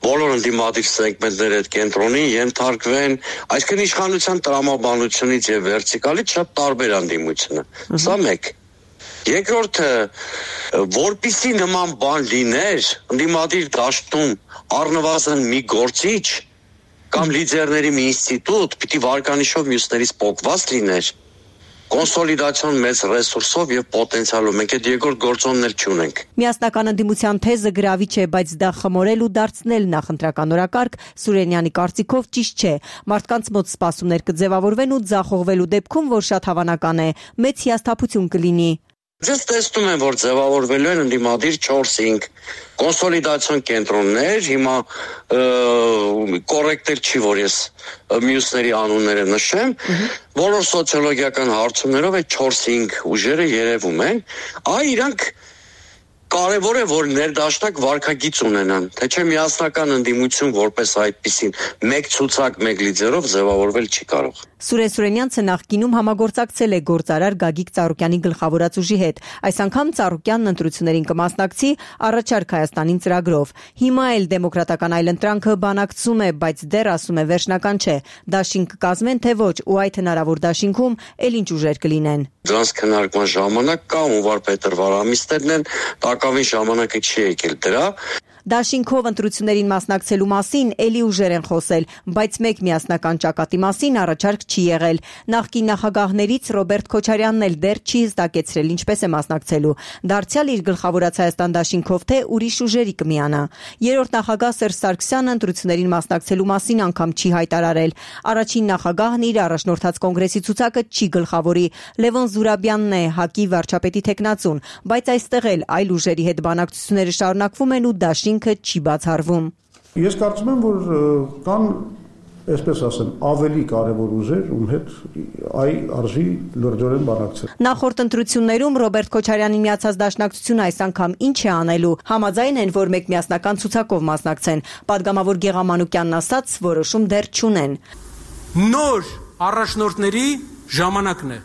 բոլոր ընդդիմադիր սեգմենտների այդ կենտրոնին ենթարկվեն, այսինքն իշխանության տրամաբանությունից եւ վերտիկալից շատ տարբեր ընդդիմությունը։ Սա մեկ։ Երկրորդը, որպիսի նման բան լիներ, ընդդիմադիր դաշտում առնվազն մի գործիչ կամ լիդերների մի ինստիտուտ պիտի վարկանիշով մյուսներից փոխված լիներ, կոնսոլիդացիոն մեծ ռեսուրսով եւ պոտենցիալով, մենք այդ երկրորդ գործոններ չունենք։ Միասնական ընդդիմության թեզը գրավիչ է, բայց դա խմորել ու դարձնել նախընտրական օրակարգ Սուրենյանի կարծիքով ճիշտ չէ։ Մարդկանց մոտ սպասումներ կձևավորվեն ու ձախողվելու դեպքում, որ շատ հավանական է, մեծ հիասթափություն կլինի։ Ձեզ տեսնում են, որ ձևավորվելու են ընդդիմադիր չորս-հինգ կոնսոլիդացիոն կենտրոններ, հիմա կոռեկտ էլ չի, որ ես մյուսների անունները նշեմ, բոլոր սոցիոլոգիական հարցումներով այդ չորս-հինգ ուժերը երևում են, այ իրանք կարևոր է, որ ներդաշնակ վարքագիծ ունենան, թե չէ միասնական ընդդիմություն որպես այդպիսին մեկ ցուցակ, մեկ լիդերով ձևավորվել չի կարող։ Սուրեն Սուրենյանցը նախկինում համագործակցել է գործարար Գագիկ Ծառուկյանի գլխավորած ուժի հետ։ Այս անգամ Ծառուկյանն ընտրություններին կմասնակցի առաջարկ Հայաստանին ծրագրով։ Հիմա էլ դեմոկրատական այլընտրանքը բանակցում է, բայց դեռ ասում է վերջնական չէ։ Դաշինք կկազմեն թե ոչ, ու այդ հնարավոր դաշինքում էլ ինչ ուժեր կլինեն։ Դրանց քննարկման ժամանակ կա ու վարպետր վարամիստերն են, տակավին ժամանակը չի եկել դրա։ Դաշինքով ընտրություններին մասնակցելու մասին էլի ուժեր են խոսել, բայց մեկ միասնական ճակատի մասին առաջարկ չի եղել։ Նախկին նախագահներից Ռոբերտ Քոչարյանն էլ դեռ չի հստակեցրել ինչպես է մասնակցելու։ Դարձյալ իր գլխավորած Հայաստան դաշինքով թե ուրիշ ուժերի կմիանա։ Երրորդ նախագահ Սերժ Սարգսյանը ընտրություններին մասնակցելու մասին անգամ չի հայտարարել։ Առաջին նախագահն իր առաջնորդած կոնգրեսի ցուցակը չի գլխավորի։ Լևոն Զուրաբյանն է ՀԱԿ-ի վարչապետի թեկնածուն, բայց այստեղ էլ այլ ուժերի հետ բանակցությունները շարունակվում են ու դաշինք չի բացառվում։ Ես կարծում եմ, որ կան, այսպես ասեմ, ավելի կարևոր ուժեր, ում հետ այ արժի լրջորեն բանակցել։ Նախորդ ընտրություններում Ռոբերտ Քոչարյանի միացած դաշնակցությունը այս անգամ ինչ է անելու։ Համաձայն են, որ մեկ միասնական ցուցակով մասնակցեն։ Պատգամավոր Գեգամ Մանուկյանն ասաց, որոշում դեռ չունեն։ Նոր առաջնորդների ժամանակն է։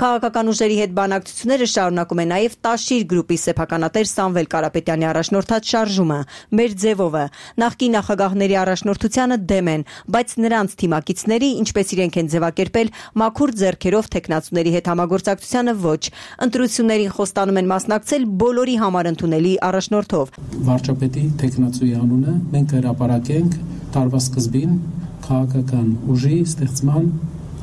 Քաղաքական ուժերի հետ բանակցությունները շարունակում է նաև Տաշիր գրուպի սեփականատեր Սամվել Կարապետյանի առաջնորդած շարժումը, մեր ձևովը։ Նախկին նախագահների առաջնորդությանը դեմ են, բայց նրանց թիմակիցների, ինչպես իրենք են ձևակերպել, մաքուր ձեռքերով թեկնածուների հետ համագործակցությանը ոչ։ Ընտրություններին խոստանում են մասնակցել բոլորի համար ընդունելի առաջնորդով։ Վարչապետի թեկնածուի անունը մենք հրապարակենք տարվա սկզբին քաղաքական ուժի ստեղծման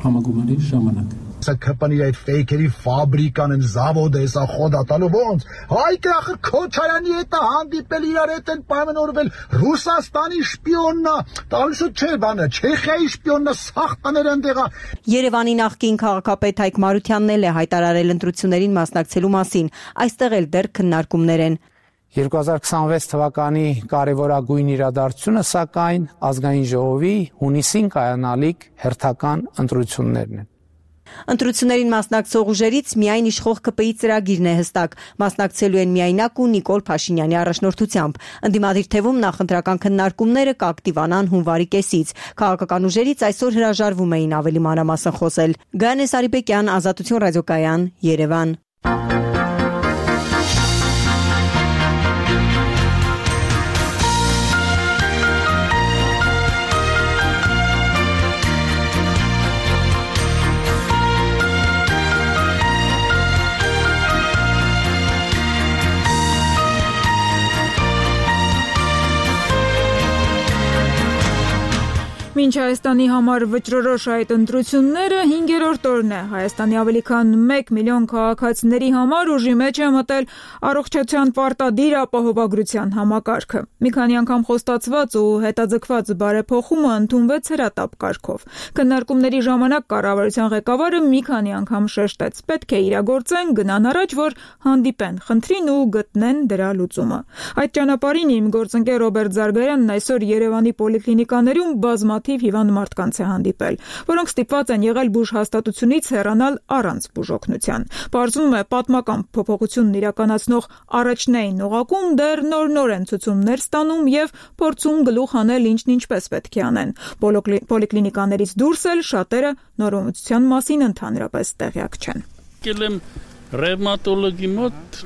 համագումարի ժամանակ։ Սա կպանի այդ ֆեյքերի ֆաբրիկան են զավոդը, սա խոդատալու ոնց։ Հայ կախը Քոչարյանի հետ հանդիպել իրար հետ են պայմանավորվել Ռուսաստանի շպիոննա, տալսու չէ բանը, Չեխիայի շպիոննա սախտաներ ընդեղա։ Երևանի նախկին քաղաքապետ Հայկ Մարությանն էլ է հայտարարել ընտրություններին մասնակցելու մասին։ Այստեղ էլ դեռ քննարկումներ են։ երկու հազար քսանվեց թվականի կարևորագույն իրադարձությունը սակայն ազգային ժողովի հունիսին կայանալիք հերթական ընտրություններն են։ Ընտրություններին մասնակցող ուժերից միայն իշխող ԿՊ-ի ծրագիրն է հստակ։ Մասնակցելու են միայնակ ու Նիկոլ Փաշինյանի առաջնորդությամբ։ Ընդդիմադիր թևում նախընտրական քննարկումները կակտիվանան հունվարի կեսից։ Քաղաքական ուժերից այսօր հրաժարվում էին ավելի մանրամասն խոսել։ Գայանե Սարիբեկյան, Ազատություն ռադիոկայան, Երևան։ Մինչ Հայաստանի համար վճռորոշ այդ ընտրությունները հինգերորդ օրն է։ Հայաստանի ավելի քան մեկ միլիոն քաղաքացիների համար ուժի մեջ է մտել առողջության պարտադիր ապահովագրության համակարգը։ Մի քանի անգամ խոստացված ու հետաձգված բարեփոխումը ընդունվեց հրատապ կարգով։ Քննարկումների ժամանակ կառավարության ղեկավարը մի քանի անգամ շեշտեց. պետք է իրագործեն, գնան առաջ, որ հանդիպեն խնդրին ու գտնեն դրա լուծումը։ Այդ ճանապարհին իմ գործընկեր Ռոբերտ Զարգարյանն այսօր Երևանի պոլիկլինիկաներում բազմաթիվ հիվանդ մարդկանց է հանդիպել, որոնք ստիպված են եղել բուժ հաստատությունից հեռանալ առանց բուժօգնության։ Պարզվում է, պատմական փոփոխությունն իրականացնող առաջնային օղակում դեռ նոր-նոր են ցուցումներ ստանում եւ փորձում գլուխ անել ինչն ինչպես պետք է անեն։ Պոլիկլինիկաներից դուրս էլ շատերը նորամուծության մասին ընդհանրապես տեղյակ չեն։ Եկել եմ ռևմատոլոգի մոտ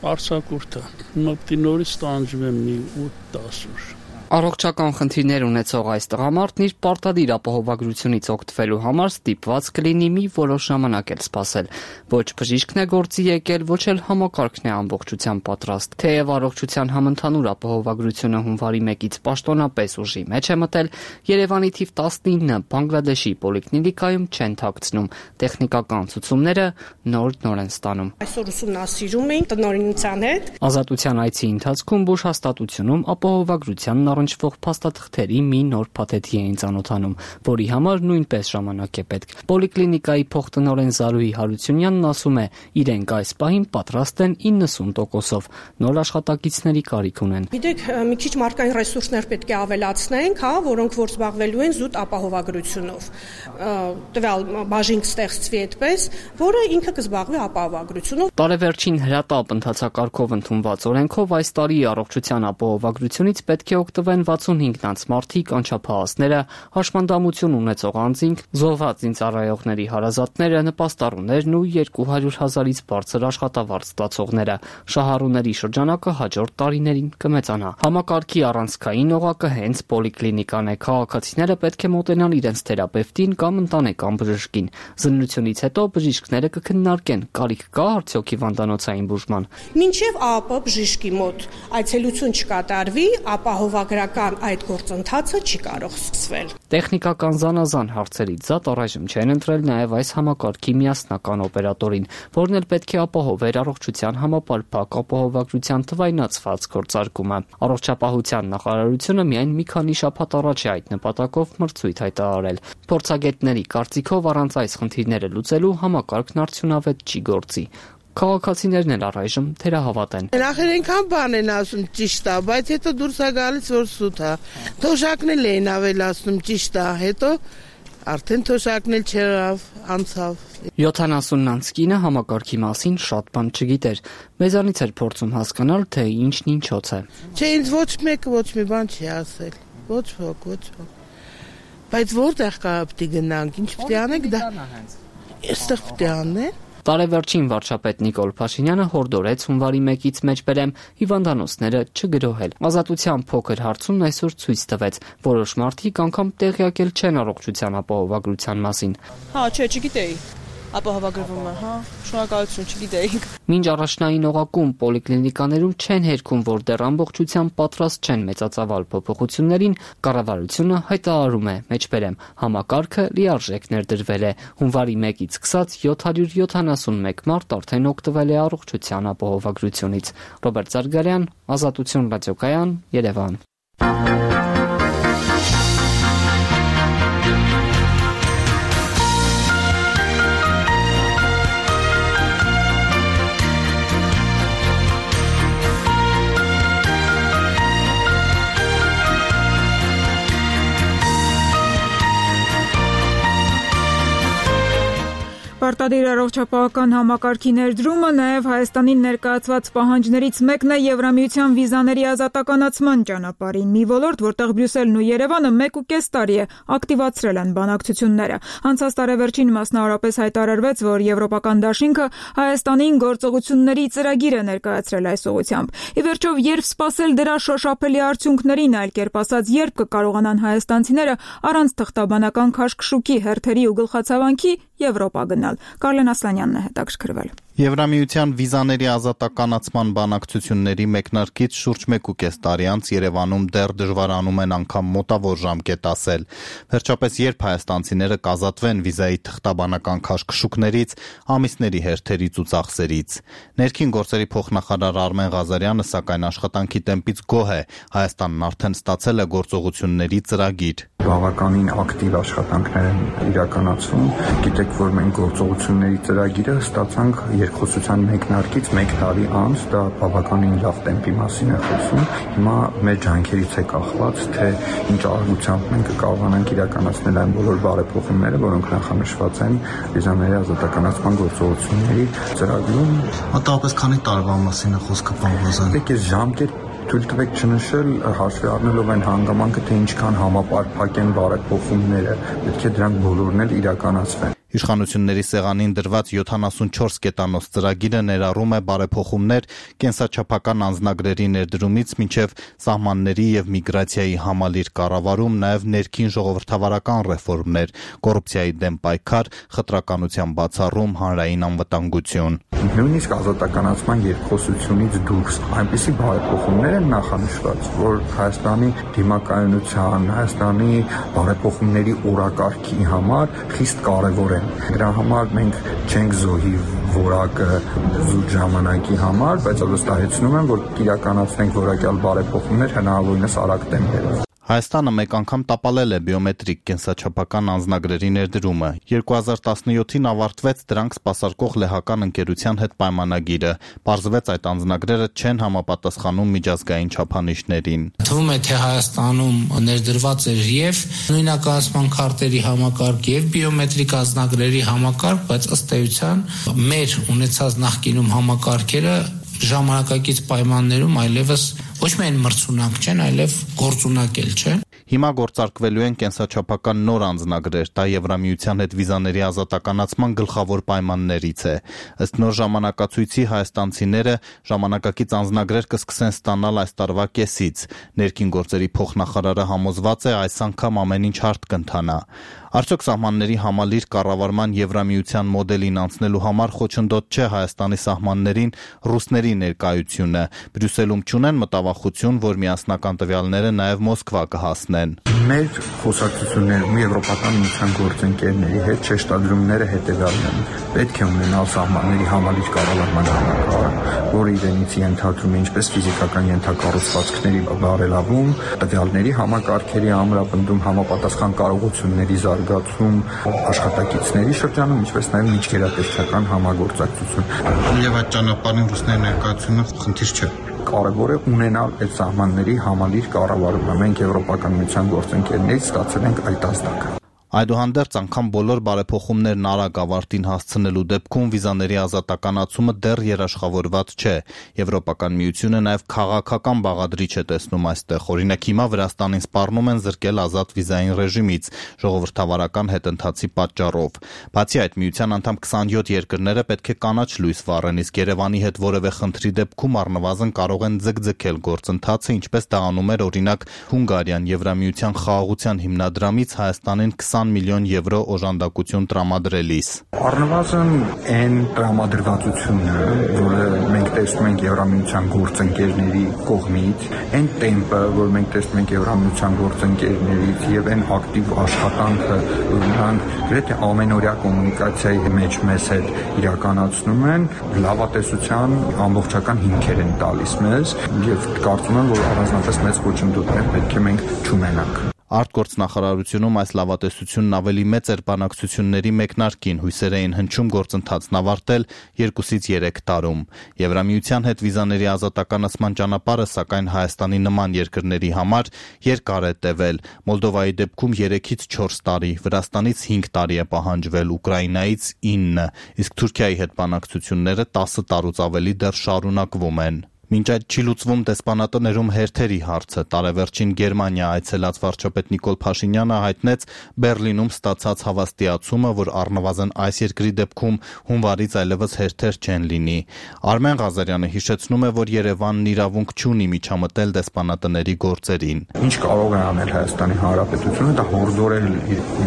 Արցախուրտը, մոտի նորից տանջում եմ մի ութ դաս օր։ Առողջական խնդիրներ ունեցող այս տղամարդն իր պարտադիր ապահովագրությունից օգտվելու համար ստիպված կլինի մի որոշ ժամանակ էլ սպասել։ Ոչ բժիշկն է գործի եկել, ոչ էլ համակարգն է ամբողջությամբ պատրաստ։ Թեև առողջության համընդհանուր ապահովագրությունը հունվարի մեկից պաշտոնապես ուժի մեջ է մտել, Երևանի թիվ տասնինը Բանգլադեշի պոլիկլինիկայում չեն թաքցնում։ Տեխնիկական ցուցումները նոր-նոր են ստանում։ Այսօր ուսումնասիրում ենք տնօրինության հետ։ Ազատության այցի ընթացքում բուժհաստատությունում ապահովագրության առնչվող փաստաթղթերի մի նոր փաթեթի էին ծանոթանում, որի համար նույնպես ժամանակ է պետք։ Պոլիկլինիկայի փոխտնօրեն Զարուհի Հարությունյանն ասում է, իրենք այս պահին պատրաստ են իննսուն տոկոսով, նոր աշխատակիցների կարիք ունեն։ Գիտեք, մի քիչ մարդկային ռեսուրսներ պետք է ավելացնենք, հա, որոնք որ զբաղվելու են զուտ ապահովագրությունով։ Տվյալ բաժին կստեղծվի այդպես, որը ինքը կզբաղվի ապահովագրությունով։ Տարեվերջին հրատապ ընթացակարգով ընդունված օրենքով այս տարի առողջության ապահովագրությունից պետք է օգտվեն վաթսունհինգ-նանց մարդիկ, անչափահասները, հաշմանդամություն ունեցող անձինք, զոհված զինծառայողների հարազատները, նպաստառուներն ու երկու հարյուր հազարից բարձր աշխատավարձ ստացողները։ Շահառուների շրջանակը հաջորդ տարիներին կմեծանա։ Համակարգի առանցքային օղակը հենց պոլիկլինիկան է։ Քաղաքացիները պետք է մոտենան իրենց թերապևտին կամ ընտանեկան բժշկին։ Զննությունից հետո բժիշկները կքննարկեն, կարիք կա արդյոք հիվանդանոցային բուժման։ Մինչև ԱՊ բժշկի մոտ այցելություն չկատարվի, ապահովագրական այդ գործընթացը չի կարող սկսվել։ Տեխնիկական զանազան հարցերից զատ առայժմ չեն ընտրել նաև այս համակարգի միասնական օպերատորին, որն էլ պետք է ապահովեր առողջության համապարփակ ապահովագրության թվայնացված գործարկումը։ Առողջապահության նախարարությունը միայն մի քանի շաբաթ առաջ է այդ նպատակով մրցույթ հայտարարել։ Փորձագետների կարծիքով առանց այս խնդիրները լուծելու համակարգն արդյունավետ չի գործի։ Քաղաքացիներն էլ առայժմ թերահավատ են։ Նախեր այնքան բան են ասում ճիշտ է, բայց հետո դուրս է գալիս որ սուտ է։ Թոշակն էլ էին ավելացնում ճիշտ է, հետո արդեն թոշակն էլ չեղավ, անցավ։ յոթանասուննանց կինը համակարգի մասին շատ բան չգիտեր։ Մեզանից էր փորձում հասկանալ, թե ինչն ինչոց է։ Չէ, ինձ ոչ մեկը ոչ մի բան չի ասել։ Ոչ ոք, ոչ ոք։ Բայց որտեղ կա պիտի գնանք, ինչ պիտի անենք դա։ Այստեղ պիտի անեն։ Տարեվերջին վարչապետ Նիկոլ Փաշինյանը հորդորեց հունվարի մեկից մեջբերեմ հիվանդանոցները չգրոհել։ Ազատության փոքր հարցումն այսօր ցույց տվեց, որոշ մարդիկ անգամ տեղյակ էլ չեն առողջության ապահովագրության մասին։ Հա, չէ, չգիտեի։ Ապահովագրվում է, հա, շնորհակալություն, չգիտեինք։ Մինչ առաջնային օղակում պոլիկլինիկաներում չեն հերքում, որ դեռ ամբողջությամբ պատրաստ չեն մեծածավալ փոփոխություններին, կառավարությունը հայտարարում է, մեջբերեմ, համակարգը լիարժեք ներդրվել է։ Հունվարի մեկից սկսած յոթ հարյուր յոթանասունմեկ մարդ արդեն օգտվել է առողջության ապահովագրությունից։ Ռոբերտ Զարգարյան, Ազատություն ռադիոկայան, Երևան։ Պարտադիր առողջապահական համակարգի ներդրումը նաև Հայաստանին ներկայացված պահանջներից մեկն է Եվրամիության վիզաների ազատականացման ճանապարհին։ Մի ոլորտ, որտեղ Բրյուսելն ու Երևանը մեկ ու կես տարի է ակտիվացրել են բանակցությունները։ Անցած տարեվերջին մասնավորապես հայտարարվեց, որ Եվրոպական դաշինքը Հայաստանին գործողությունների ծրագիր է ներկայացրել այս ուղղությամբ։ Ի վերջո, երբ սպասել դրա շոշափելի արդյունքներին, այլ կերպ ասած, երբ կկարողանան հայաստանցիները առանց թղթաբանական քաշքշուկի, հերթերի ու գլխացավանքի Եվրոպա գնալ։ Կարլեն Ասլանյանն է հետաքրքրվել։ Եվրամիության վիզաների ազատականացման բանակցությունների մեկնարկից շուրջ մեկ ու կես տարի անց Երևանում դեռ դժվարանում են անգամ մոտավոր ժամկետ ասել։ Վերջապես երբ հայաստանցիները կազատվեն վիզայի թղթաբանական քաշքշուկներից, ամիսների հերթերից ու ծախսերից։ Ներքին գործերի փոխնախարար Արմեն Ղազարյանը սակայն աշխատանքի տեմպից գոհ է։ Հայաստանն արդեն ստացել է գործողությունների ծրագիր։ Բավականին ակտիվ աշխատանքներ են իրականացվում։ Գիտեք, որ մենք գործողությունների ծրագիրը ստացանք երկխոսության մեկնարկից մեկ տարի անց, դա բավականին լավ տեմպի մասին է խոսում։ Հիմա մեր ջանքերից է կախված, թե ինչ արագությամբ մենք կարողանանք իրականացնել այն բոլոր բարեփոխումները, որոնք նախանշված են վիզաների ազատականացման գործողությունների ծրագրում։ Մոտավորապես քանի տարվա մասին է խոսքը, պարոն Ղազարյան։ Դե այս ժամկետ թույլ տվեք չնշել, հաշվի առնելով այն հանգամանքը, թե ինչքան համապարփակ են բարեփոխումները, պետք է դրանք բոլորն էլ իրականացվեն։ Իշխանությունների սեղանին դրված յոթանասունչորս կետանոց ծրագիրը ներառում է բարեփոխումներ կենսաչափական անձնագրերի ներդրումից մինչև սահմանների եւ միգրացիայի համալիր կառավարում, նաեւ ներքին ժողովրդավարական ռեֆորմներ, կոռուպցիայի դեմ պայքար, խտրականության բացառում, հանրային անվտանգություն։ Նույնիսկ ազատականացման երկխոսությունից դուրս այնպիսի բարեփոխումներ են նախանշված, որ Հայաստանի դիմակայունության, Հայաստանի բարեփոխումների օրակարգի համար խիստ կարևոր են են։ Դրա համար մենք չենք զոհի որակը զուտ ժամանակի համար, բայց վստահեցնում եմ, որ կիրականացնենք որակյալ բարեփոխումներ հնարավորինս արագ տեմպերով։ Հայաստանը մեկ անգամ տապալել է բիոմետրիկ կենսաչափական անձնագրերի ներդրումը։ երկու հազար տասնյոթին ավարտվեց դրանք սպասարկող լեհական ընկերության հետ պայմանագիրը։ Պարզվեց այդ անձնագրերը չեն համապատասխանում միջազգային չափանիշներին։ Թվում է, թե Հայաստանում ներդրված էր եւ նույնականացման քարտերի համակարգ եւ բիոմետրիկ անձնագրերի համակարգ, բայց ըստ էության մեր ունեցած նախկինում համակարգերը ժամանակակից պայմաններում այլևս ոչ միայն մրցունակ չեն, այլև գործունակ էլ չեն։ Հիմա գործարկվելու են կենսաչափական նոր անձնագրեր, դա Եվրամիության հետ վիզաների ազատականացման գլխավոր պայմաններից է։ Ըստ նոր ժամանակացույցի հայաստանցիները ժամանակակից անձնագրեր կսկսեն ստանալ այս տարվա կեսից։ Ներքին գործերի փոխնախարարը համոզված է, այս անգամ ամեն ինչ հարթ կընթանա։ Արդյոք սահմանների համալիր կառավարման Եվրամիության մոդելին անցնելու համար խոչընդոտ չէ Հայաստանի սահմաններին ռուսների ներկայությունը։ Բրյուսելում չունեն մտավախություն, որ միասնական տվյալները նաև Մոսկվա կհասնեն։ Մեր խոսակցություններում Եվրոպական միության գործընկերների հետ շեշտադրումները հետևյալն են. պետք է ունենալ սահմանների համալիր կառավարման համակարգ, որը իրենից ենթադրում է ինչպես ֆիզիկական ենթակառուցվածքների բարելավում, տվյալների համակարգերի ամրապնդում, համապատասխան կարողությունների զարգացում, աշխատակիցների շրջանում, ինչպես նաև միջգերատեսչական համագործակցություն։ Եվ այդ ճանապարհին ռուսների ներկայությունը խնդիր չէ։ Կարևոր է ունենալ այդ սահմանների համալիր կառավարումը։ Մենք Եվրոպական միության գործընկերներից ստացել ենք այդ ազդակը։ Այդուհանդերձ անգամ բոլոր բարեփոխումներն արագ ավարտին հասցնելու դեպքում վիզաների ազատականացումը դեռ երաշխավորված չէ։ Եվրոպական միությունը նաև քաղաքական բաղադրիչ է տեսնում այստեղ։ Օրինակ հիմա Վրաստանին սպառնում են զրկել ազատ վիզային ռեժիմից ժողովրդավարական հետընթացի պատճառով։ Բացի այդ, միության անդամ քսանյոթ երկրները պետք է կանաչ լույս վառեն, իսկ Երևանի հետ որևէ խնդրի դեպքում առնվազն կարող են ձգձգել գործընթացը, ինչպես դա անում էր օրինակ Հունգարիան Եվրամիության խաղաղության հիմնադրամից Հայաստանին միլիոն եվրո օժանդակություն տրամադրելիս։ Առնվազն այն տրամադրվածությունը, որը մենք տեսնում ենք Եվրամիության գործընկերների կողմից, այն տեմպը, որ մենք տեսնում ենք Եվրամիության գործընկերներից եւ այն ակտիվ աշխատանքը, որ նրանք գրեթե ամենօրյա կոմունիկացիայի մեջ մեզ հետ իրականացնում են, լավատեսության ամբողջական հիմքեր են տալիս մեզ եւ կարծում եմ, որ առանձնապես մեծ խոչընդոտներ պետք է մենք չունենանք։ Արտգործնախարարությունում այս լավատեսությունն ավելի մեծ էր բանակցությունների մեկնարկին, հույսեր էին հնչում գործընթացն ավարտել երկուսից երեք տարում։ Եվրամիության հետ վիզաների ազատականացման ճանապարհը, սակայն Հայաստանի նման երկրների համար երկար է տևել։ Մոլդովայի դեպքում երեքից չորս տարի, Վրաստանից հինգ տարի է պահանջվել, Ուկրաինայից ինը, իսկ Թուրքիայի հետ բանակցությունները տասը տարուց ավելի դեռ շարունակվում են։ Մինչ այդ չի լուծվում դեսպանատներում հերթերի հարցը։ Տարեվերջին Գերմանիա այցելած վարչապետ Նիկոլ Փաշինյանը հայտնեց Բեռլինում ստացած հավաստիացումը, որ առնվազն այս երկրի դեպքում հունվարից այլևս հերթեր չեն լինի։ Արմեն Ղազարյանը հիշեցնում է, որ Երևանն իրավունք չունի միջամտել դեսպանատների գործերին։ Ինչ կարող է անել Հայաստանի Հանրապետությունը, դա հորդորել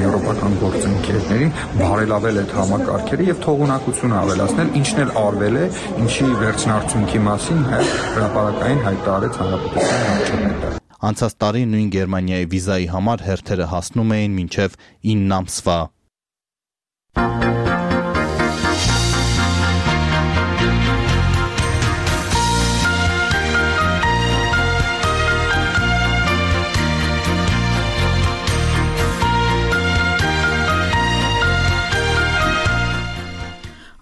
եվրոպական գործընկերներին, բարելավել այդ համակարգերը եւ թողունակություն ավելացնել, ինչն էլ արվել է, ինչի վերջնարդյունքի մասին հայ հրապարակային հայտարարեց հանրապետության վարչապետը։ Անցած տարի նույն Գերմանիայի վիզայի համար հերթերը հասնում էին մինչև ինը ամսվա։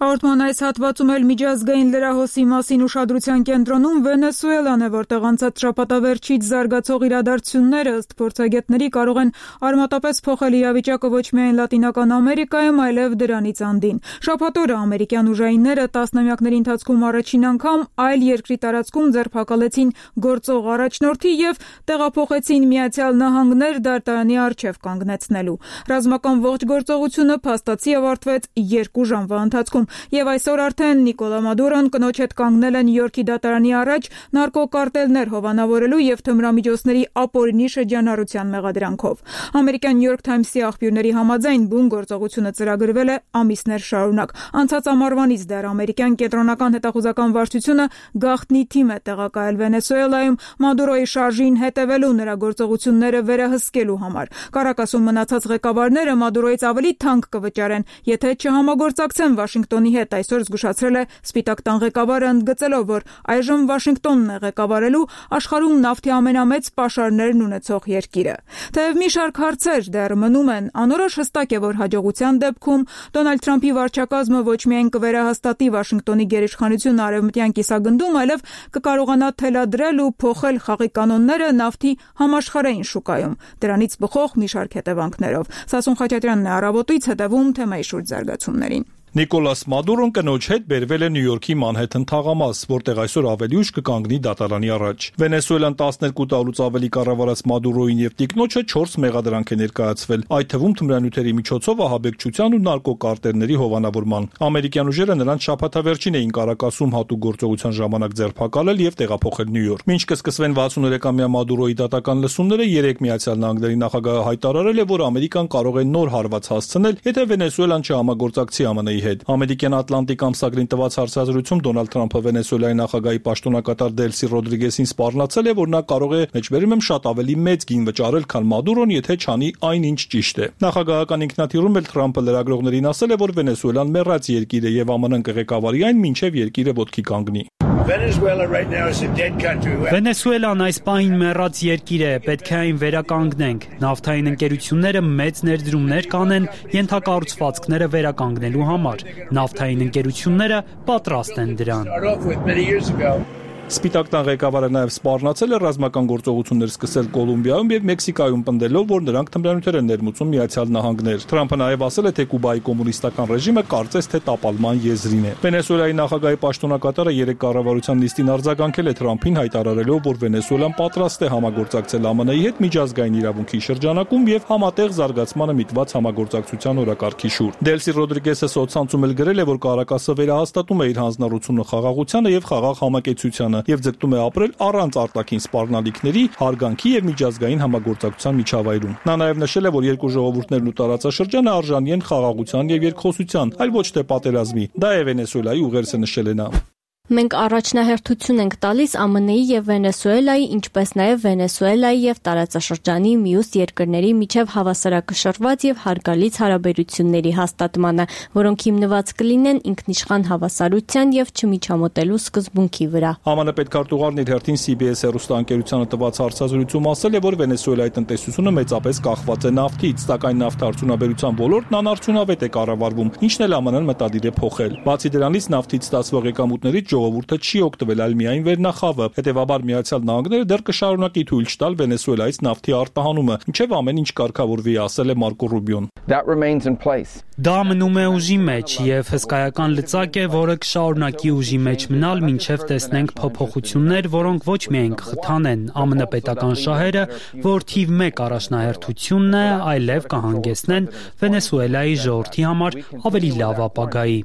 Հաղորդման այս հատվածում էլ միջազգային լրահոսի մասին ուշադրության կենտրոնում Վենեսուելան է, որտեղ անցած շաբաթավերջից զարգացող իրադարձությունները ըստ փորձագետների կարող են արմատապես փոխել իրավիճակը ոչ միայն Լատինական Ամերիկայում, այլև դրանից անդին։ Շաբաթ օրը ամերիկյան ուժայինները տասնամյակների ընթացքում առաջին անգամ այլ երկրի տարածքում ձերբակալեցին գործող առաջնորդի եւ տեղափոխեցին Միացյալ Նահանգներ դատարանի առջև կանգնեցնելու։ Ռազմական ողջ գործողությունը փաստացի ավարտվեց երկու ժամվա ընթացքում։ Եվ այսօր արդեն Նիկոլա Մադուրոն կնոջ հետ կանգնել է Նյու Յորքի դատարանի առաջ նարկոկարտելներ հովանավորելու եւ թմրամիջոցների ապօրինի շրջանառության մեղադրանքով։ Ամերիկյան New York Times-ի աղբյուրների համաձայն բուն գործողությունը ծրագրվել է ամիսներ շարունակ։ Անցած ամառվանից դեռ ամերիկյան կենտրոնական հետախուզական վարչությունը գաղտնի թիմ է տեղակայել Վենեսուելայում Մադուրոյի շարժին հետևելու նրա գործողությունները վերահսկելու համար։ Կարակասում մնացած ղեկավարները Մադուրոյից ավելի թանկ կվճարեն, եթե չհամագործակցեն Վաշինգտոնի հետ, այսօր զգուշացրել է Սպիտակ տան ղեկավարը, ընդգծելով, որ այժմ Վաշինգտոնն է ղեկավարելու աշխարհում նավթի ամենամեծ պաշարներն ունեցող երկիրը։ Թեև մի շարք հարցեր դեռ մնում են, անորոշ հստակ է, որ հաջողության դեպքում Դոնալդ Թրամփի վարչակազմը ոչ միայն կվերահաստատի Վաշինգտոնի գերիշխանությունը արևմտյան կիսագնդում, այլև կկարողանա թելադրել ու փոխել խաղի կանոնները նավթի համաշխարհային շուկայում։ Դրանից բխող մի շարք հետևանքներով։ Սասուն Խաչատրյանն է Առավոտից հետևում թեմայի շուրջ զարգացումներին։ Նիկոլաս Մադուրոն կնոջ հետ բերվել է Նյու Յորքի Մանհեթեն թաղամաս, որտեղ այսօր ավելի ուշ կկանգնի դատարանի առաջ։ Վենեսուելան տասներկու տարուց ավելի կառավարած Մադուրոյին եւ տիկնոջը չորս մեղադրանք է ներկայացվել, այդ թվում թմրանյութերի միջոցով ահաբեկչության ու նարկոկարտերների հովանավորման։ Ամերիկյան ուժերը նրանց շաբաթավերջին էին Կարակասում հատուկ գործողության ժամանակ ձերբակալել եւ տեղափոխել Նյու Յորք։ Մինչ կսկսվեն վաթսուներեքամյա Մադուրոյի դատական լսումները, երեք Միացյալ Նահանգների նախագահը հայտարարել է, որ Ամերիկան կարող է նոր հարված հասցնել, եթե Վենեսուելան չհամագործակցի ԱՄՆ-ի հետ։ Ամերիկյան Ատլանտիկ ամսագրին տված հարցազրույցում Դոնալդ Թրամփը Վենեսուելայի նախագահի պաշտոնակատար Դելսի Ռոդրիգեսին սպառնացել է, որ նա կարող է մեջբերում եմ շատ ավելի մեծ գին վճարել, քան Մադուրոն, եթե չանի այնինչ ճիշտ է։ Նախագահական ինքնաթիռում էլ Թրամփը լրագրողներին ասել է, որ Վենեսուելան մեռած երկիր է եւ ԱՄՆ-ն կղեկավարի այն, մինչեւ երկիրը ոտքի կանգնի։ Վենեսուելան այս պահին մեռած երկիր է, պետք է այն վերականգնենք։ Նավթային ընկերությունները մեծ ներդրումներ կանեն ենթակառուցվածքները վերականգնելու համար։ Նավթային ընկերությունները պատրաստ են դրան։ Սպիտակ տան ղեկավարը նաև սպառնացել է ռազմական գործողություններ սկսել Կոլումբիայում եւ Մեքսիկայում, պնդելով, որ նրանք թմրանյութեր են ներմուծում Միացյալ Նահանգներ։ Թրամփը նաև ասել է, թե Կուբայի կոմունիստական ռեժիմը կարծես թե տապալման եզրին է։ Վենեսուելայի նախագահի պաշտոնակատարը երեք կառավարության նիստին արձագանքել է Թրամփին, հայտարարելով, որ Վենեսուելան պատրաստ է համագործակցել ԱՄՆ-ի հետ միջազգային իրավունքի շրջանակում եւ համատեղ զարգացմանը միտված համագործակցության օրակարգի շուրջ։ Դելսի Ռոդրիգեսը սոցցանցում էլ գրել է, որ Կարակասը վերահաստատում է իր հանձնառությունը խաղաղությանը եւ խաղաղ համակեցությանը եւ ձգտում է ապրել առանց արտաքին սպառնալիքների, հարգանքի եւ միջազգային համագործակցության միջավայրում։ Նա նաեւ նշել է, որ երկու ժողովուրդներն ու տարածաշրջանը արժանի են խաղաղության եւ երկխոսության, այլ ոչ թե պատերազմի։ Դա է Վենեսուելայի ուղերձը, նշել է նա։ Մենք առաջնահերթություն ենք տալիս ԱՄՆ-ի եւ Վենեսուելայի, ինչպես նաեւ Վենեսուելայի եւ տարածաշրջանի մյուս երկրների միջև հավասարակշռված եւ հարգալից հարաբերությունների հաստատմանը, որոնք հիմնված կլինեն ինքնիշխան հավասարության եւ չմիջամոտելու սկզբունքի վրա։ ԱՄՆ պետքարտուղարն իր հերթին C B S հեռուստաընկերությանը տված հարցազրույցում ասել է, որ Վենեսուելայի տնտեսությունը մեծապես կախված է նավթից, սակայն նավթարդյունաբերության ոլորտն անարդյունավետ է կառավարվում, ինչն էլ ԱՄՆ-ն մտադիր է փոխել։ Բացի դրանից նավթից ստացվող եկամուտներից ժողովուրդը չի օգտվել, այլ միայն վերնախավը։ Հետևաբար Միացյալ Նահանգները դեռ կշարունակի թույլ չտալ Վենեսուելայից նավթի արտահանումը, ինչև ամեն ինչ կարգավորվի, ասել է Մարկո Ռուբիոն։ Դա մնում է ուժի մեջ եւ հսկայական լծակ է, որը կշարունակի ուժի մեջ մնալ, մինչեւ տեսնենք փոփոխություններ, որոնք ոչ միայն կխթանեն ԱՄՆ պետական շահերը, որ թիվ մեկ առաջնահերթությունն է, այլև կհանգեցնեն Վենեսուելայի ժողովրդի համար ավելի լավ ապագայի։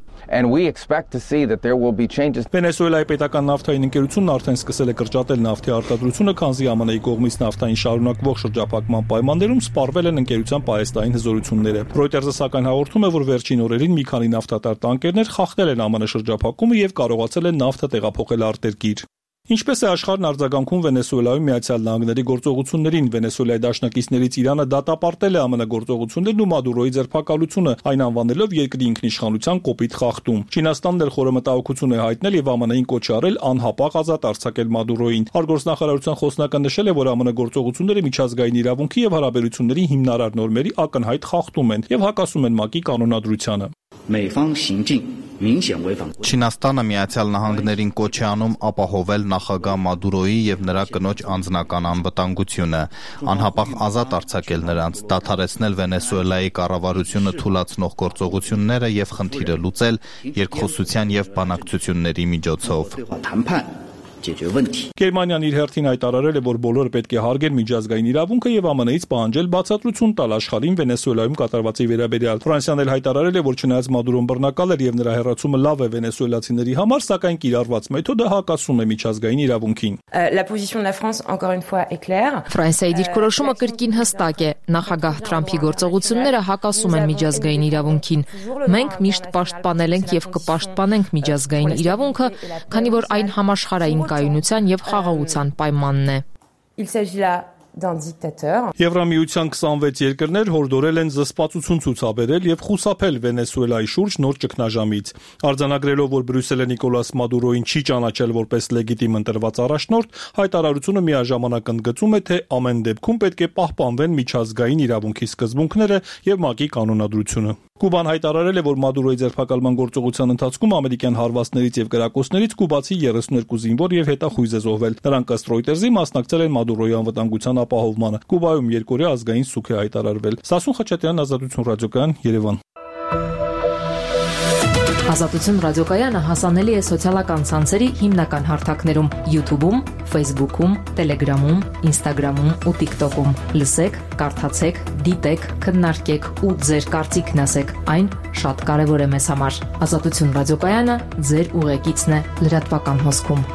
Վենեսուելայի պետական նավթային ընկերությունն արդեն սկսել է կրճատել նավթի արտադրությունը, քանզի ԱՄՆ-ի կողմից նավթային շարունակվող շրջափակման պայմաններում սպառվել են ընկերության պահեստային հզորությունները։ Reuters-ը սակայն հաղորդում է, որ վերջին օրերին մի քանի նավթատար տանկերներ խախտել են ԱՄՆ շրջափակումը եւ կարողացել են նավթը տեղափոխել արտերկիր։ Ինչպես է աշխարհն արձագանքում Վենեսուելայում Միացյալ Նահանգների գործողություններին, Վենեսուելայի դաշնակիցներից Իրանը դատապարտել է ԱՄՆ գործողություններն ու Մադուրոյի ձերբակալությունը, այն անվանելով երկրի ինքնիշխանության կոպիտ խախտում։ Չինաստանն էլ խորը մտահոգություն է հայտնել եւ ԱՄՆ-ին կոչ արել անհապաղ ազատ արձակել Մադուրոյին։ Արտգործնախարարության խոսնակը նշել է, որ ԱՄՆ գործողությունները միջազգային իրավունքի եւ հարաբերությունների հիմնարար նորմերի ակնհայտ խախտում են եւ հակասում են ՄԱԿ-ի կանոնադրությանը։ Չինաստանը Միացյալ Նահանգներին կոչ է անում ապահովել նախագահ Մադուրոյի եւ նրա կնոջ անձնական անվտանգությունը, անհապաղ ազատ արձակել նրանց, դադարեցնել Վենեսուելայի կառավարությունը թուլացնող գործողությունները եւ խնդիրը լուծել երկխոսության եւ բանակցությունների միջոցով։ Գերմանիան իր հերթին հայտարարել է, որ բոլորը պետք է հարգեն միջազգային իրավունքը եւ ԱՄՆ-ից պահանջել բացատրություն տալ աշխարհին Վենեսուելայում կատարվածի վերաբերյալ։ Ֆրանսիան էլ հայտարարել է, որ չնայած Մադուրոն բռնակալ էր եւ նրա հեռացումը լավ է վենեսուելացիների համար, սակայն կիրառված մեթոդը հակասում է միջազգային իրավունքին։ Ֆրանսիայի դիրքորոշումը կրկին հստակ է։ Նախագահ Թրամփի գործողությունները հակասում են միջազգային իրավունքին։ Մենք միշտ պաշտպանել ենք եւ կպաշտպանենք միջազգային իրավունքը, քանի որ այն համաշխարհային կայունության եւ խաղաղության պայմանն է։ Եվրամիության քսանվեց երկրներ հորդորել են զսպվածություն ցուցաբերել եւ խուսափել Վենեսուելայի շուրջ նոր ճգնաժամից։ Արձանագրելով, որ Բրյուսելը Նիկոլաս Մադուրոին չի ճանաչել որպես լեգիտիմ ընտրված առաջնորդ, հայտարարությունը միաժամանակ ընդգծում է, թե ամեն դեպքում պետք է պահպանվեն միջազգային իրավունքի սկզբունքները եւ ՄԱԿ-ի կանոնադրությունը։ Կուբան հայտարարել է, որ Մադուրոյի ձերբակալման գործողության ընթացքում ամերիկյան հարվածներից եւ կրակոցներից կուբացի երեսուներկու զինվոր եւ հետախույզ է զոհվել։ Նրանք ըստ Ռոյտերզի մասնակցել են Մադուրոյի անվտանգության ապահովմանը։ Կուբայում երկօրյա ազգային սուք է հայտարարվել։ Սասուն Խաչատրյան, Ազատություն ռադիոկայան, Երևան։ Ազատություն ռադիոկայանը հասանելի է սոցիալական ցանցերի հիմնական հարթակներում՝ YouTube-ում, Facebook-ում, Telegram-ում, Instagram-ում ու TikTok-ում։ Լսեք, կարդացեք, դիտեք, քննարկեք ու ձեր կարծիքն ասեք։ Այն շատ կարևոր է մեզ համար։ Ազատություն ռադիոկայանը ձեր ուղեկիցն է լրատվական հոսքում։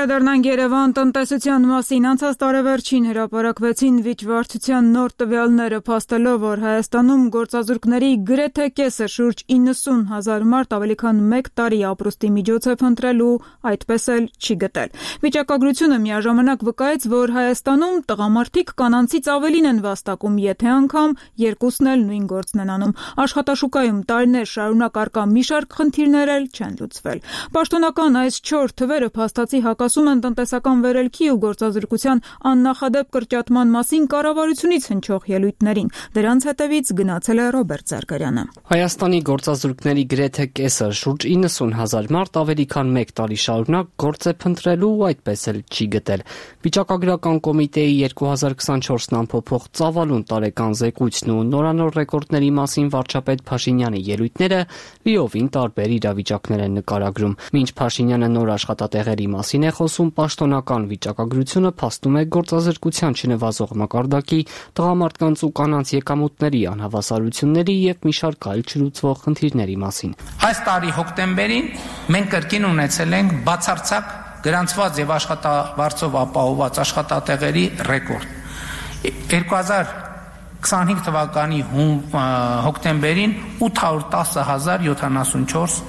Վերադառնանք Երևան տնտեսության մասին։ Անցած տարեվերջին հրապարակվեցին վիճվարչության նոր տվյալները, փաստելով, որ Հայաստանում գործազուրկների գրեթե կեսը, շուրջ իննսուն հազար մարդ ավելի քան մեկ տարի ապրուստի միջոց է փնտրել ու այդպես էլ չի գտել։ Վիճակագրությունը միաժամանակ վկայեց, որ Հայաստանում տղամարդիկ կանանցից ավելին են վաստակում, եթե անգամ երկուսն էլ նույն գործն են անում։ Աշխատաշուկայում տարիներ շարունակ առկա մի շարք խնդիրներ էլ չեն լուծվել։ Պաշտոնական այս չորս թվերը փաստացի հակասում են տնտեսական վերելքի ու գործազրկության աննախադեպ կրճատման մասին կառավարությունից հնչող ելույթներին։ Դրանց հետևից գնացել է Ռոբերտ Զարգարյանը։ Հայաստանի գործազուրկների գրեթե կեսը, շուրջ իննսուն հազար մարդ ավելի քան մեկ տարի շարունակ գործ է փնտրելու ու այդպես էլ չի գտել։ Վիճակագրական կոմիտեի երկու հազար քսանչորսն ամփոփող ծավալուն տարեկան զեկույցն ու նորանոր ռեկորդների մասին վարչապետ Փաշինյանի ելույթները լիովին տարբեր իրավիճակներ են նկարագրում։ Մինչ Փաշինյանը նոր աշխատատեղերի մասին է խոսում, պաշտոնական վիճակագրությունը փաստում է գործազրկության չնվազող մակարդակի, տղամարդկանց ու կանանց եկամուտների անհավասարությունների եւ մի շարք այլ չլուծվող խնդիրների մասին։ Այս տարի հոկտեմբերին մենք կրկին ունեցել ենք բացարձակ գրանցված եւ աշխատավարձով ապահովված աշխատատեղերի ռեկորդ։ երկու հազար քսանհինգ թվականի հոկտեմբերին ութ հարյուր տասը հազար յոթանասունչորս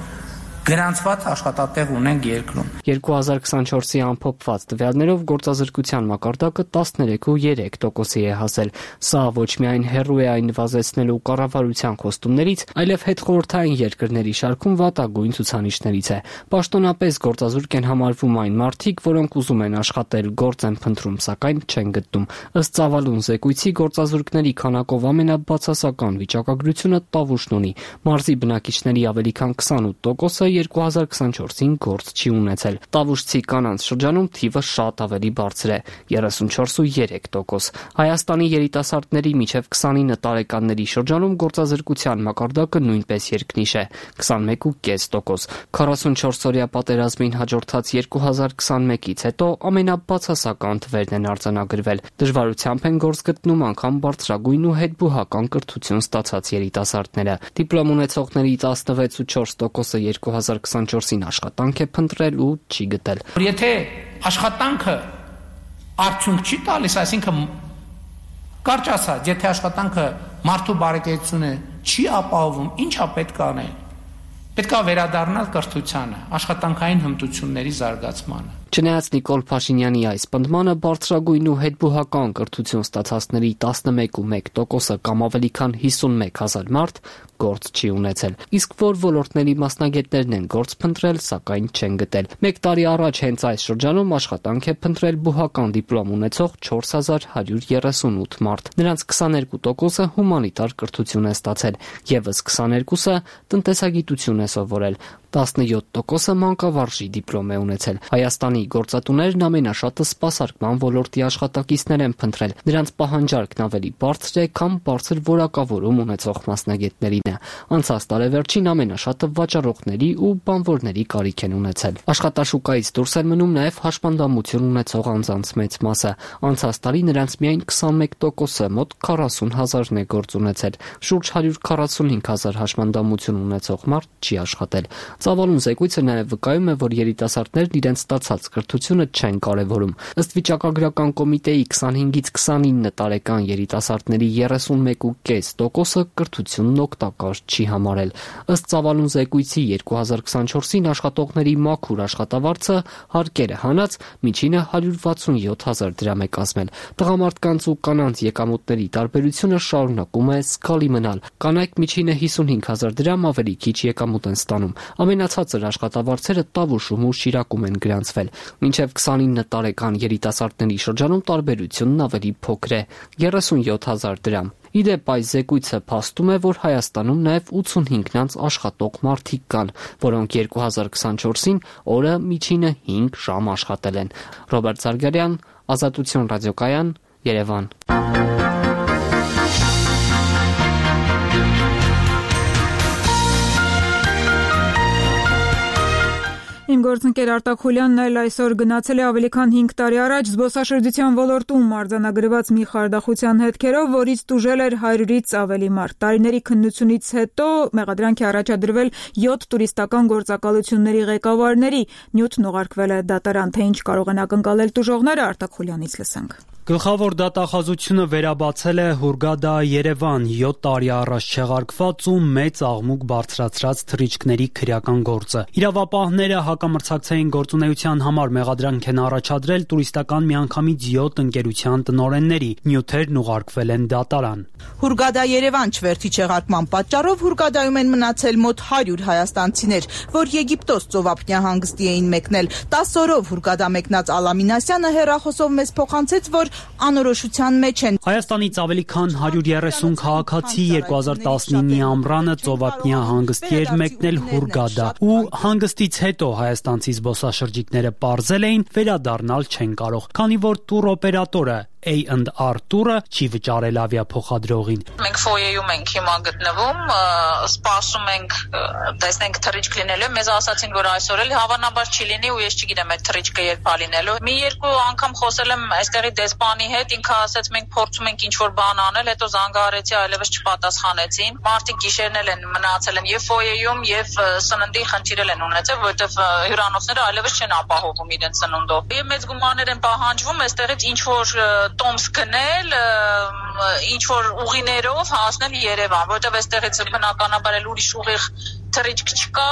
գրանցված աշխատատեղ ունենք երկրում։ երկու հազար քսանչորսի ամփոփված տվյալներով գործազրկության մակարդակը տասներեք կόμμα երեք տոկոսի է հասել։ Սա ոչ միայն հեռու է այն նվազեցնելու կառավարության խոստումներից, այլև հետխորհրդային երկրների շարքում վատագույն ցուցանիշներից է։ Պաշտոնապես գործազուրկ են համարվում այն մարդիկ, որոնք ուզում են աշխատել, գործ են փնտրում, սակայն չեն գտնում։ Ըստ ծավալուն զեկույցի գործազուրկների քանակով ամենաբացասական վիճակագրությունը Տավուշն ունի։ Մարզի բնակիչների ավելի քան քսանութ տոկոսը երկու հազար քսանչորսին գործ չի ունեցել։ Տավուշցի կանանց շրջանում թիվը շատ ավելի բարձր է՝ երեսունչորս կόμμα երեք տոկոս։ Հայաստանի երիտասարդների միջև քսանինը տարեկանների շրջանում գործազրկության մակարդակը նույնպես երկնիշ է՝ քսանմեկ կόμμα պինգ տոկոս։ քառասունչորս օրյա պատերազմին հաջորդած երկու հազար քսանմեկից հետո ամենաբացասական թվերն են արձանագրվել։ Դժվարությամբ են գործ գտնում անգամ բարձրագույն ու հետբուհական կրթություն ստացած երիտասարդները։ Դիպլոմ ունեցողների տասնվեց կόμμα չորս տոկոսը երկու հազար քսանչորսին աշխատանք է փնտրել ու չի գտել։ Եթե աշխատանքը արդյունք չի տալիս, այսինքն կարճ ասած, եթե աշխատանքը մարդու բարեկեցությունը չի ապահովում, ինչա պետք է անել։ Պետք է վերադառնալ կրթությանը, աշխատանքային հմտությունների զարգացմանը։ Չնայած Նիկոլ Փաշինյանի այս պնդմանը, բարձրագույն ու հետբուհական կրթություն ստացածների տասնմեկ կόμma մեկ տոկոսը կամ ավելի քան հիսունմեկ հազար մարդ գործ չի ունեցել։ Իսկ որ ոլորտների մասնագետներն են գործ փնտրել, սակայն չեն գտել։ Մեկ տարի առաջ հենց այս շրջանում աշխատանք է փնտրել բուհական դիպլոմ ունեցող չորս հազար հարյուր երեսունութ մարդ։ Նրանց քսաներկու տոկոսը հումանիտար կրթություն է ստացել, եւս քսաներկուսը տնտեսագիտություն է սովորել, տասնյոթ տոկոսը մանկավարժի դիպլոմ է ունեցել։ Հայաստանի Հայաստանի գործատուներն ամենաշատը սպասարկման ոլորտի աշխատակիցներ են փնտրել։ Նրանց պահանջարկն ավելի բարձր է, քան բարձր որակավորում ունեցող մասնագետներինը։ Անցած տարեվերջին ամենաշատը վաճառողների ու բանվորների կարիք են ունեցել։ Աշխատաշուկայից դուրս են մնում նաև հաշմանդամություն ունեցող անձանց մեծ մասը։ Անցած տարի նրանց միայն քսանմեկ տոկոսը մոտ քառասուն հազարն է գործ ունեցել։ Շուրջ հարյուր քառասունհինգ հազար հաշմանդամություն ունեցող մարդ չի աշխատել։ Ծավալուն զեկույցը նաև վկայում է, որ երիտասարդներն իրենց ստացած կրթությունը չեն կարևորում։ Ըստ վիճակագրական կոմիտեի քսանհինգից քսանինը տարեկան երիտասարդների երեսունմեկ կόμμα պենս տոկոսը կրթությունն օգտակար չի համարել։ Ըստ ծավալուն զեկույցի երկու հազար քսանչորսին աշխատողների մաքուր աշխատավարձը հարկերը հանած միջինը հարյուր վաթսունյոթ հազար դրամ է կազմել։ Տղամարդկանց ու կանանց եկամուտների տարբերությունը շարունակում է զգալի մնալ։ Կանայք միջինը հիսունհինգ հազար դրամ ավելի քիչ եկամուտ են ստանում։ Ամենացածր աշխատավարձերը Տավուշում ու Շիրակում են գրանցվել։ Մինչև քսանինը տարեկան երիտասարդների շրջանում տարբերությունն ավելի փոքր է՝ երեսունյոթ հազար դրամ։ Իդեպ այս զեկույցը փաստում է, որ Հայաստանում նաև ութսունհինգ աշխատող մարդիկ կան, որոնք երկու հազար քսանչորսին օրը միջինը հինգ ժամ աշխատել են։ Ռոբերտ Զարգարյան, Ազատություն ռադիոկայան, Երևան։ Իմ գործընկեր Արտակ Խուլյանն էլ այսօր գնացել է ավելի քան հինգ տարի առաջ զբոսաշրջության ոլորտում արձանագրված մի խարդախության հետքերով, որից տուժել էր հարյուրից ավելի մարդ։ Տարիների քննությունից հետո մեղադրանք է առաջադրվել յոթ տուրիստական գործակալությունների ղեկավարների։ Նյութն ուղարկվել է դատարան, թե ինչ կարող են ակնկալել տուժողները, Արտակ Խուլյանից լսենք։ Գլխավոր դատախազությունը վերաբացել է Հուրգադա Երևան յոթ տարի առաջ չեղարկված ու մեծ աղմուկ բարձրացրած թռիչքների քրեական գործը։ Իրավապահները հակամրցակցային գործունեության համար մեղադրանք են առաջադրել տուրիստական միանգամից յոթ ընկերության տնօրենների։ Նյութերն ուղարկվել են դատարան։ Հուրգադա Երևան չվերթի չեղարկման պատճառով Հուրգադայում են մնացել մոտ հարյուր հայաստանցիներ, որ Եգիպտոս ծովափնյա հանգստի էին մեկնել։ տասը օրով Հուրգադա մեկնած Ալամինասյանը հեռախոսով մեզ փոխանցեց, որ անորոշության մեջ են։ Հայաստանից ավելի քան հարյուր երեսուն քաղաքացի երկու հազար տասնինի ամռանը ծովափնյա հանգստի էր մեկնել Հուրգադա, ու հանգստից հետո հայաստանցի զբոսաշրջիկները պարզել էին վերադառնալ չեն կարող, քանի որ տուրօպերատորը A and R տուրը չի վճարել ավիափոխադրողին։ Մենք ֆոյեում ենք հիմա գտնվում, սպասում ենք, տեսնենք թռիչք լինելու։ Մեզ ասացին, որ այսօր էլ հավանաբար չի լինի ու ես չգիտեմ այդ թռիչքը երբ է լինելու։ Մի երկու անգամ խոսել եմ այստեղի դեսպանի հետ, ինքը ասաց մենք փորձում ենք ինչ-որ բան անել, հետո զանգահարեցի, այլևս չպատասխանեցին։ Մարդիկ գիշերն էլ են մնացել են եւ ֆոյեում եւ սննդի խնդիրել են ունեցել, որովհետեւ հյուրանոցները այլևս չեն ապահովում իրենց սնունդով։ Եվ մեծ գումարներ են պահանջվում այստեղից ինչ-որ տոմս գնել, ինչ-որ ուղիներով հասնել Երևան, որովհետև այստեղից բնականաբար էլ ուրիշ ուղիղ թռիչք չկա։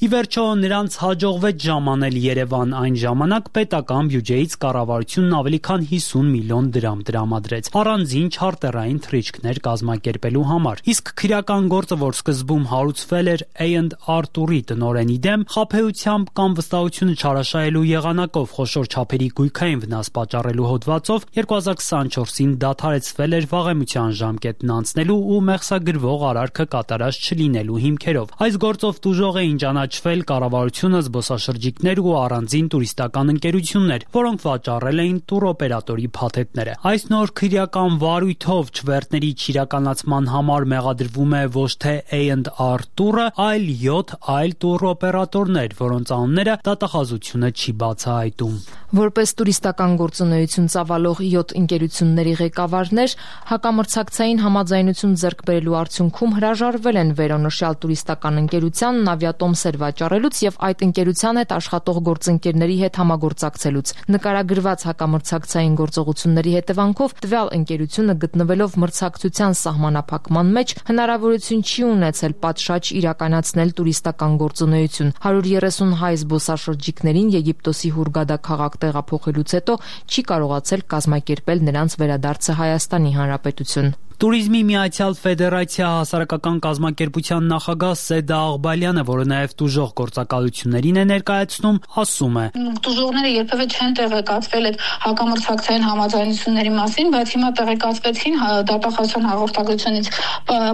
Ի վերջո նրանց հաջողվեց ժամանել Երևան, այն ժամանակ պետական բյուջեից կառավարությունն ավելի քան հիսուն միլիոն դրամ տրամադրեց առանձին չարտերային թռիչքներ կազմակերպելու համար։ Իսկ քրեական գործը, որ սկզբում հարուցվել էր A and R տուրի տնօրենի դեմ, խաբեությամբ կամ վստահությունը չարաշահելու եղանակով խոշոր չափերի գույքային վնաս պատճառելու հոդվածով երկու հազար քսանչորսին դադարեցվել էր վաղեմության ժամկետն անցնելու ու մեղսագրվող արարքը կատարած չլինելու հիմքերով։ Այս գործով տուժող էին ճանաչվել կառավարությունը, զբոսաշրջիկներ ու առանձին տուրիստական ընկերություններ, որոնք վաճառել էին տուրօպերատորի փաթեթները։ Այս նոր քրեական վարույթով չվերթների չիրականացման համար մեղադրվում է ոչ թե A and R տուրը, այլ յոթ այլ տուրօպերատորներ, որոնց անունները դատախազությունը չի բացահայտում։ Որպես տուրիստական գործունեություն ծավալող յոթ ընկերությունների ղեկավարներ հակամրցակցային համաձայնություն ձեռք բերելու արդյունքում հրաժարվել են վերոնշյալ տուրիստական ընկերությանն ավիատոմսեր վաճառելուց եւ այդ ընկերության հետ աշխատող գործընկերների հետ համագործակցելուց։ Նկարագրված հակամրցակցային գործողությունների հետևանքով տվյալ ընկերությունը գտնվելով մրցակցության սահմանափակման մեջ հնարավորություն չի ունեցել պատշաճ իրականացնել տուրիստական գործունեություն։ հարյուր երեսուն հայ զբոսաշրջիկներին Եգիպտոսի Հուրգադա քաղաք տեղափոխելուց հետո չի կարողացել կազմակերպել նրանց վերադարձը Հայաստանի Հանրապետություն։ Տուրիզմի Միացյալ Ֆեդերացիա հասարակական կազմակերպության նախագահ Սեդա Աղբալյանը, որը նաև տուժող գործակալություններին է ներկայացնում, ասում է. Տուժողները երբևէ չեն տեղեկացվել այդ հակամրցակցային համաձայնությունների մասին, բայց հիմա տեղեկացվեցին դատախազության հաղորդագրությունից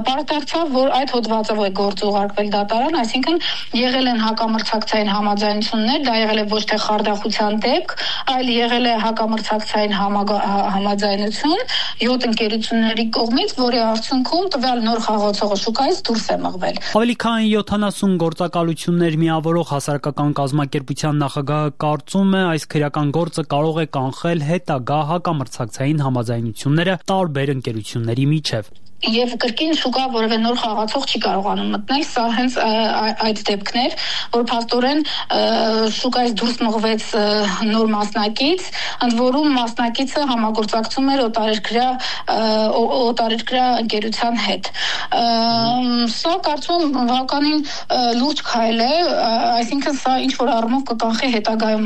պարզդարձավ, որ այդ հոդվածով է գործ ուղարկվել դատարան, այսինքն եղել են հակամրցակցային համաձայնություններ, դա եղել է ոչ թե խարդախության դեպք, այլ եղել է հակամրցակցային համաձայնություն յոթ ընկերությունների կողմից, որի արդյունքում տվյալ նոր խաղացողը շուկայից դուրս է մղվել։ Ավելի քան յոթանասուն գործակալություններ միավորող հասարակական կազմակերպության նախագահը կարծում է, այս քրեական գործը կարող է կանխել հետագա հակամրցակցային համաձայնությունները տարբեր ընկերությունների միջև։ Եվ կրկին շուկա որևէ նոր խաղացող չի կարողանում մտնել, սա հենց այդ դեպքն էր, որ փաստորեն շուկայից դուրս մղվեց նոր մասնակից, ընդ որում մասնակիցը համագործակցում էր օտարերկրյա օտարերկրյա ընկերության հետ։ Սա կարծում եմ բավականին լուրջ քայլ է, այսինքն սա ինչ որ առումով կկանխի հետագայում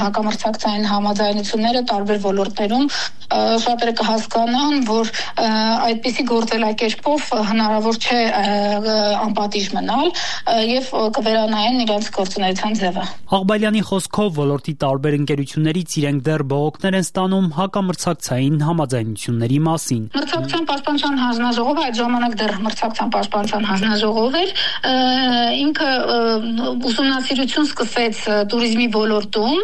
հակամրցակցային համաձայնությունները տարբեր ոլորտներում, շատերը կհասկանան, որ այդպիսի գործելակերպով հնարավոր չէ անպատիժ մնալ եւ կվերանային իրենց գործունեության ձևը։ Աղբալյանի խոսքով ոլորտի տարբեր ընկերություններից իրենք դեռ բողոքներ են ստանում հակամրցակցային համաձայնությունների մասին։ Մրցակցության պաշտպանության հանձնաժողովը այդ ժամանակ դեռ մրցակցության պաշտպանության հանձնաժողով էր, ինքը ուսումնասիրություն սկսեց տուրիզմի ոլորտում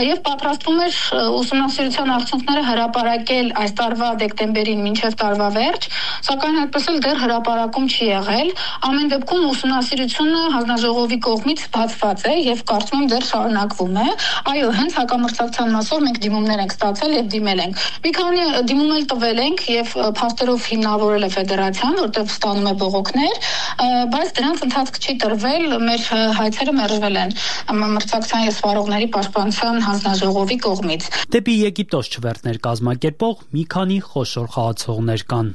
եւ պատրաստվում էր ուսումնասիրության արդյունքները հրապարակել այս տարվա դեկտեմբերին մինչև տարվա վերջ, սակայն այդպես էլ դեռ հրապարակում չի եղել։ Ամեն դեպքում ուսումնասիրությունը հանձնաժողովի կողմից բացված է եւ կարծում եմ դեռ շարունակվում է։ Այո, հենց հակամրցակցության մասով մենք դիմումներ ենք ստացել եւ դիմել ենք։ Մի քանի դիմում էլ տվել ենք եւ փաստերով հիմնավորել է ֆեդերացիան, որտեղ ստանում է բողոքներ, բայց դրանց ընթացք չի տրվել, մեր հայցերը մերժվել են մրցակցության եւ սպառողների պաշտպանության հանձնաժողովի կողմից։ Դեպի Եգիպտոս չվերթներ կազմակերպող մի քանի խոշոր խաղացողներ կան։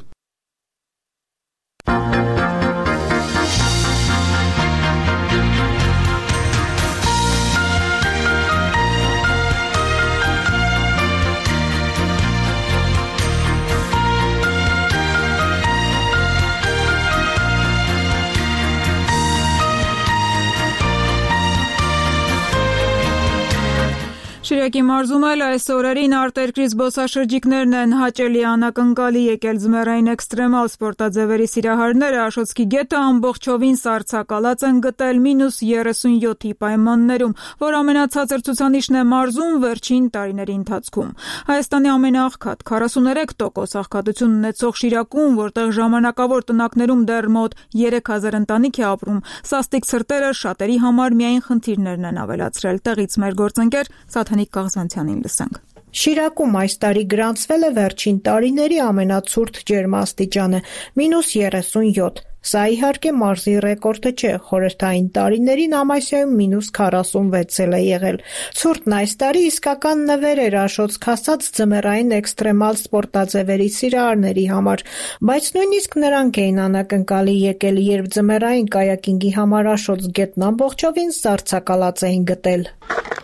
Շիրակի մարզում էլ այս օրերին արտերկրի զբոսաշրջիկներն են հաճելի անակնկալի եկել ձմեռային էքստրեմալ սպորտաձևերի սիրահարները Աշոտսկի գետը ամբողջովին սառցակալած են գտել մինուս երեսունյոթի պայմաններում, որ ամենացածր ցուցանիշն է մարզում վերջին տարիների ընթացքում։ Հայաստանի ամենաաղքատ քառասուներեք տոկոս աղքատություն ունեցող Շիրակում, որտեղ ժամանակավոր տնակներում դեռ մոտ երեք հազար ընտանիք է ապրում, սաստիկ ցրտերը շատերի համար միայն խնդիրներն են ավելացրել։ Տեղից մեր գործընկեր Սաթանիկ Կաղզանցյանին լսենք։ Շիրակում այս տարի գրանցվել է վերջին տարիների ամենացուրտ ջերմաստիճանը՝ մինուս երեսունյոթ։ Սա իհարկե մարզի ռեկորդը չէ, խորհրդային տարիներին Ամասիայում մինուս քառասունվեց էլ է եղել։ Ցուրտն այս տարի իսկական նվեր էր Աշոտսկ հասած ձմեռային էքստրեմալ սպորտաձևերի սիրահարների համար, բայց նույնիսկ նրանք էին անակնկալի եկել, երբ ձմեռային կայակինգի համար Աշոտսկ գետն ամբողջովին սառցակալած էին գտել։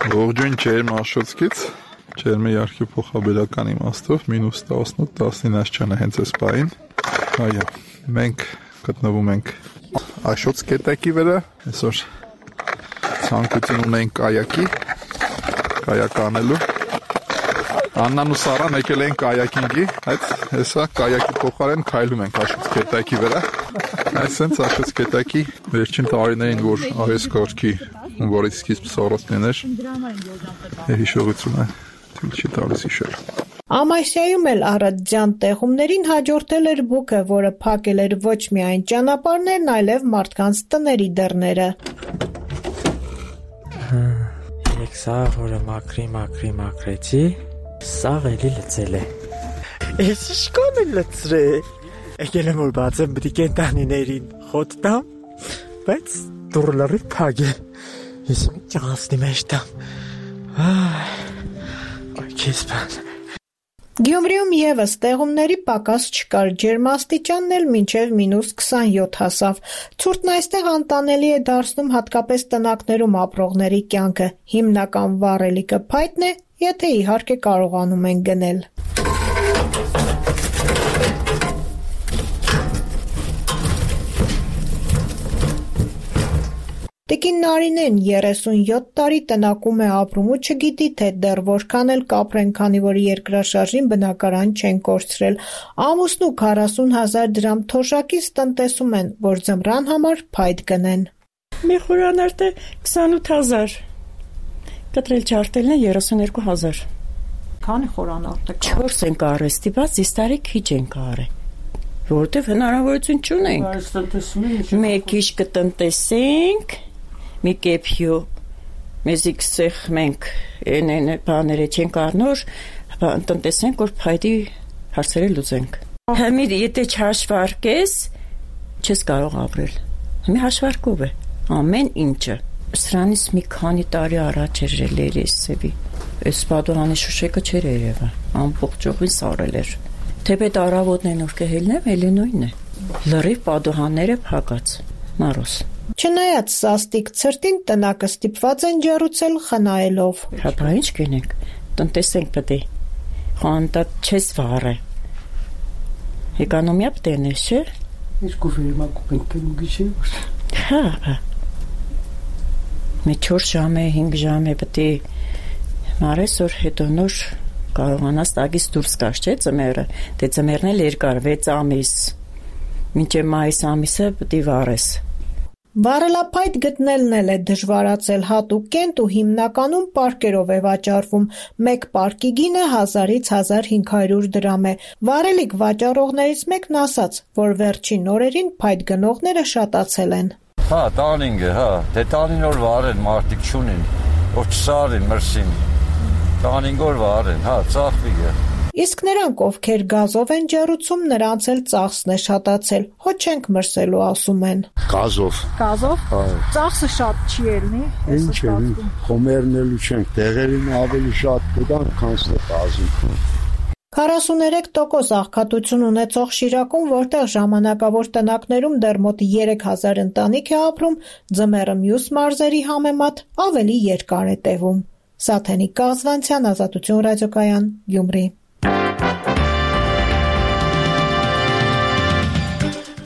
Ողջույն ջերմ Աշոտսկից, ջերմի իհարկե փոխաբերական իմաստով մինուս տասնութ տասնինը չնա հենց այս պահին։ Այո, մենք գտնվում ենք Աշոտսկ գետակի վրա, այսօր ցանկություն ունենք կայակի, կայակ անելու։ Աննան ու Սարան եկել են կայակինգի, այդ հեսա կայակի փոխարեն քայլում ենք Աշոտսկ գետակի վրա։ Այսինքն Աշոտսկ գետակի վերջին տարիներին, որ այս կարգի որից սկիզբ սառոցներ, հիշողությունը թույլ չի տալիս հիշել։ Ամասիայում էլ առատձյան տեղումներին հաջորդել էր բուքը, որը փակել էր ոչ միայն ճանապարհներն, այլև մարդկանց տների դռները։ Երեք սաղ, որը մաքրի, մաքրի, մաքրեցի, սաղ էլի լծել է։ Ես իշկան է լծրե։ Եկել եմ որ բացեմ բդի կենտանիներին խոտ տամ, բայց դուռը լրիվ փակ է։ Ես մի ճաղասնի մեջ տամ։ Այ, քեզ բան։ Գյումրիում եւս տեղումների պակաս չկար, ջերմաստիճանն էլ մինչև մինուս քսանյոթ հասավ։ Ցուրտն այստեղ անտանելի է դարձնում հատկապես տնակներում ապրողների կյանքը։ Հիմնական վառելիքը փայտն է, եթե իհարկե կարողանում են գնել։ Տիկին Նարինեն երեսունյոթ տարի տնակում է ապրում ու չգիտի, թե դեռ որքան էլ կապրեն, քանի որ երկրաշարժին բնակարան չեն կորցրել։ Ամուսնու քառասուն հազար դրամ թոշակից տնտեսում են, որ ձմռան համար փայտ գնեն։ Մի խորանարդը քսանութ հազար, կտրել չարտելն է երեսուներկու հազար։ Քանի խորանարդ է։ Չորս ենք արեստիված, իստարի քիչ ենք արե, որտեվ հնարավորություն չունենք։ Մեկ իշ կտնտեսենք, մի կեփյու, մեզի կսեղ մենք են բաները չենք առնոր, տնտեսենք, որ փայտի հարցերը լուծենք։ Հիմի եթե չհաշվարկես, չես կարող ապրել։ Հիմի հաշվարկով է ամեն ինչը։ Սրանից մի քանի տարի առաջ էր լերեսեվի։ Այս պատուհանի շուշեկը չէր երևա, ամբողջովին սարել էր։ Թեպետ առավոտն որ կհելնեմ, էլի նույնն է։ Լրիվ պատուհանները փակած։ Մարոս։ Չնայած սաստիկ ցրտին տնակը ստիպված են ջեռուցել խնայելով։ Հա, բա ինչ կինենք, տնտեսենք պետք է։ Խանտա չես վառե։ Էկոնոմիա պետք է նես, չէ՞։ Ինչ կուվերմա կուպենք ու գիշի։ Հա, հա։ Մի չորս ժամ է, հինգ ժամ է պետք է մարես որ հետո նոր կարողանաս տագից դուրս գաս, չէ՞ ծմերը։ Դե ծմերն էլ երկար վեց ամիս։ Մինչև մայիս ամիսը պետք է վառես։ Վառելափայտ գտնելն էլ է դժվարացել հատուկ կենտ ու հիմնականում պարկերով է վաճառվում։ Մեկ պարկի գինը հազարից հազար հինգ հարյուր դրամ է։ Վառելիք վաճառողներից մեկն ասաց, որ վերջին օրերին փայտ գնողները շատացել են։ Հա, տանինգ է, հա, դե տանին որ վառեն մարդիկ չունին, որ չսարին մրսին։ Տանինգ որ վառեն, հա, ծախվի է։ Իսկ նրանք, ովքեր գազով են ջեռուցում, նրանց էլ ծախսն է շատացել։ Հո չենք մրսելու, ասում են։ Գազով։ Գազով։ Ծախսը շատ չի ելնի։ Ինչ է, խոմերնելու չենք, տեղերին ավելի շատ կդան, քան գազում։ քառասուներեք տոկոս աղքատություն ունեցող Շիրակում, որտեղ ժամանակավոր տնակներում դեռ մոտ երեք հազար ընտանիք է ապրում, ձմեռը մյուս մարզերի համեմատ ավելի երկար է տևում։ Սաթենիկ Կազվանցյան, Ազատություն ռադիոկայան, Գյումրի։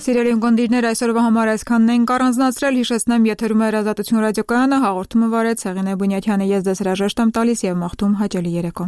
Սիրելի ունկնդիրներ, այսօրվա համար այսքանն ենք առանձնացրել, հիշեցնեմ եթերում է Ազատություն ռադիոկայանը, հաղորդումը վարեց Հեղինե Բունյաթյանը, ես ձեզ հրաժեշտ եմ տալիս և մաղթում հաճելի երեկո։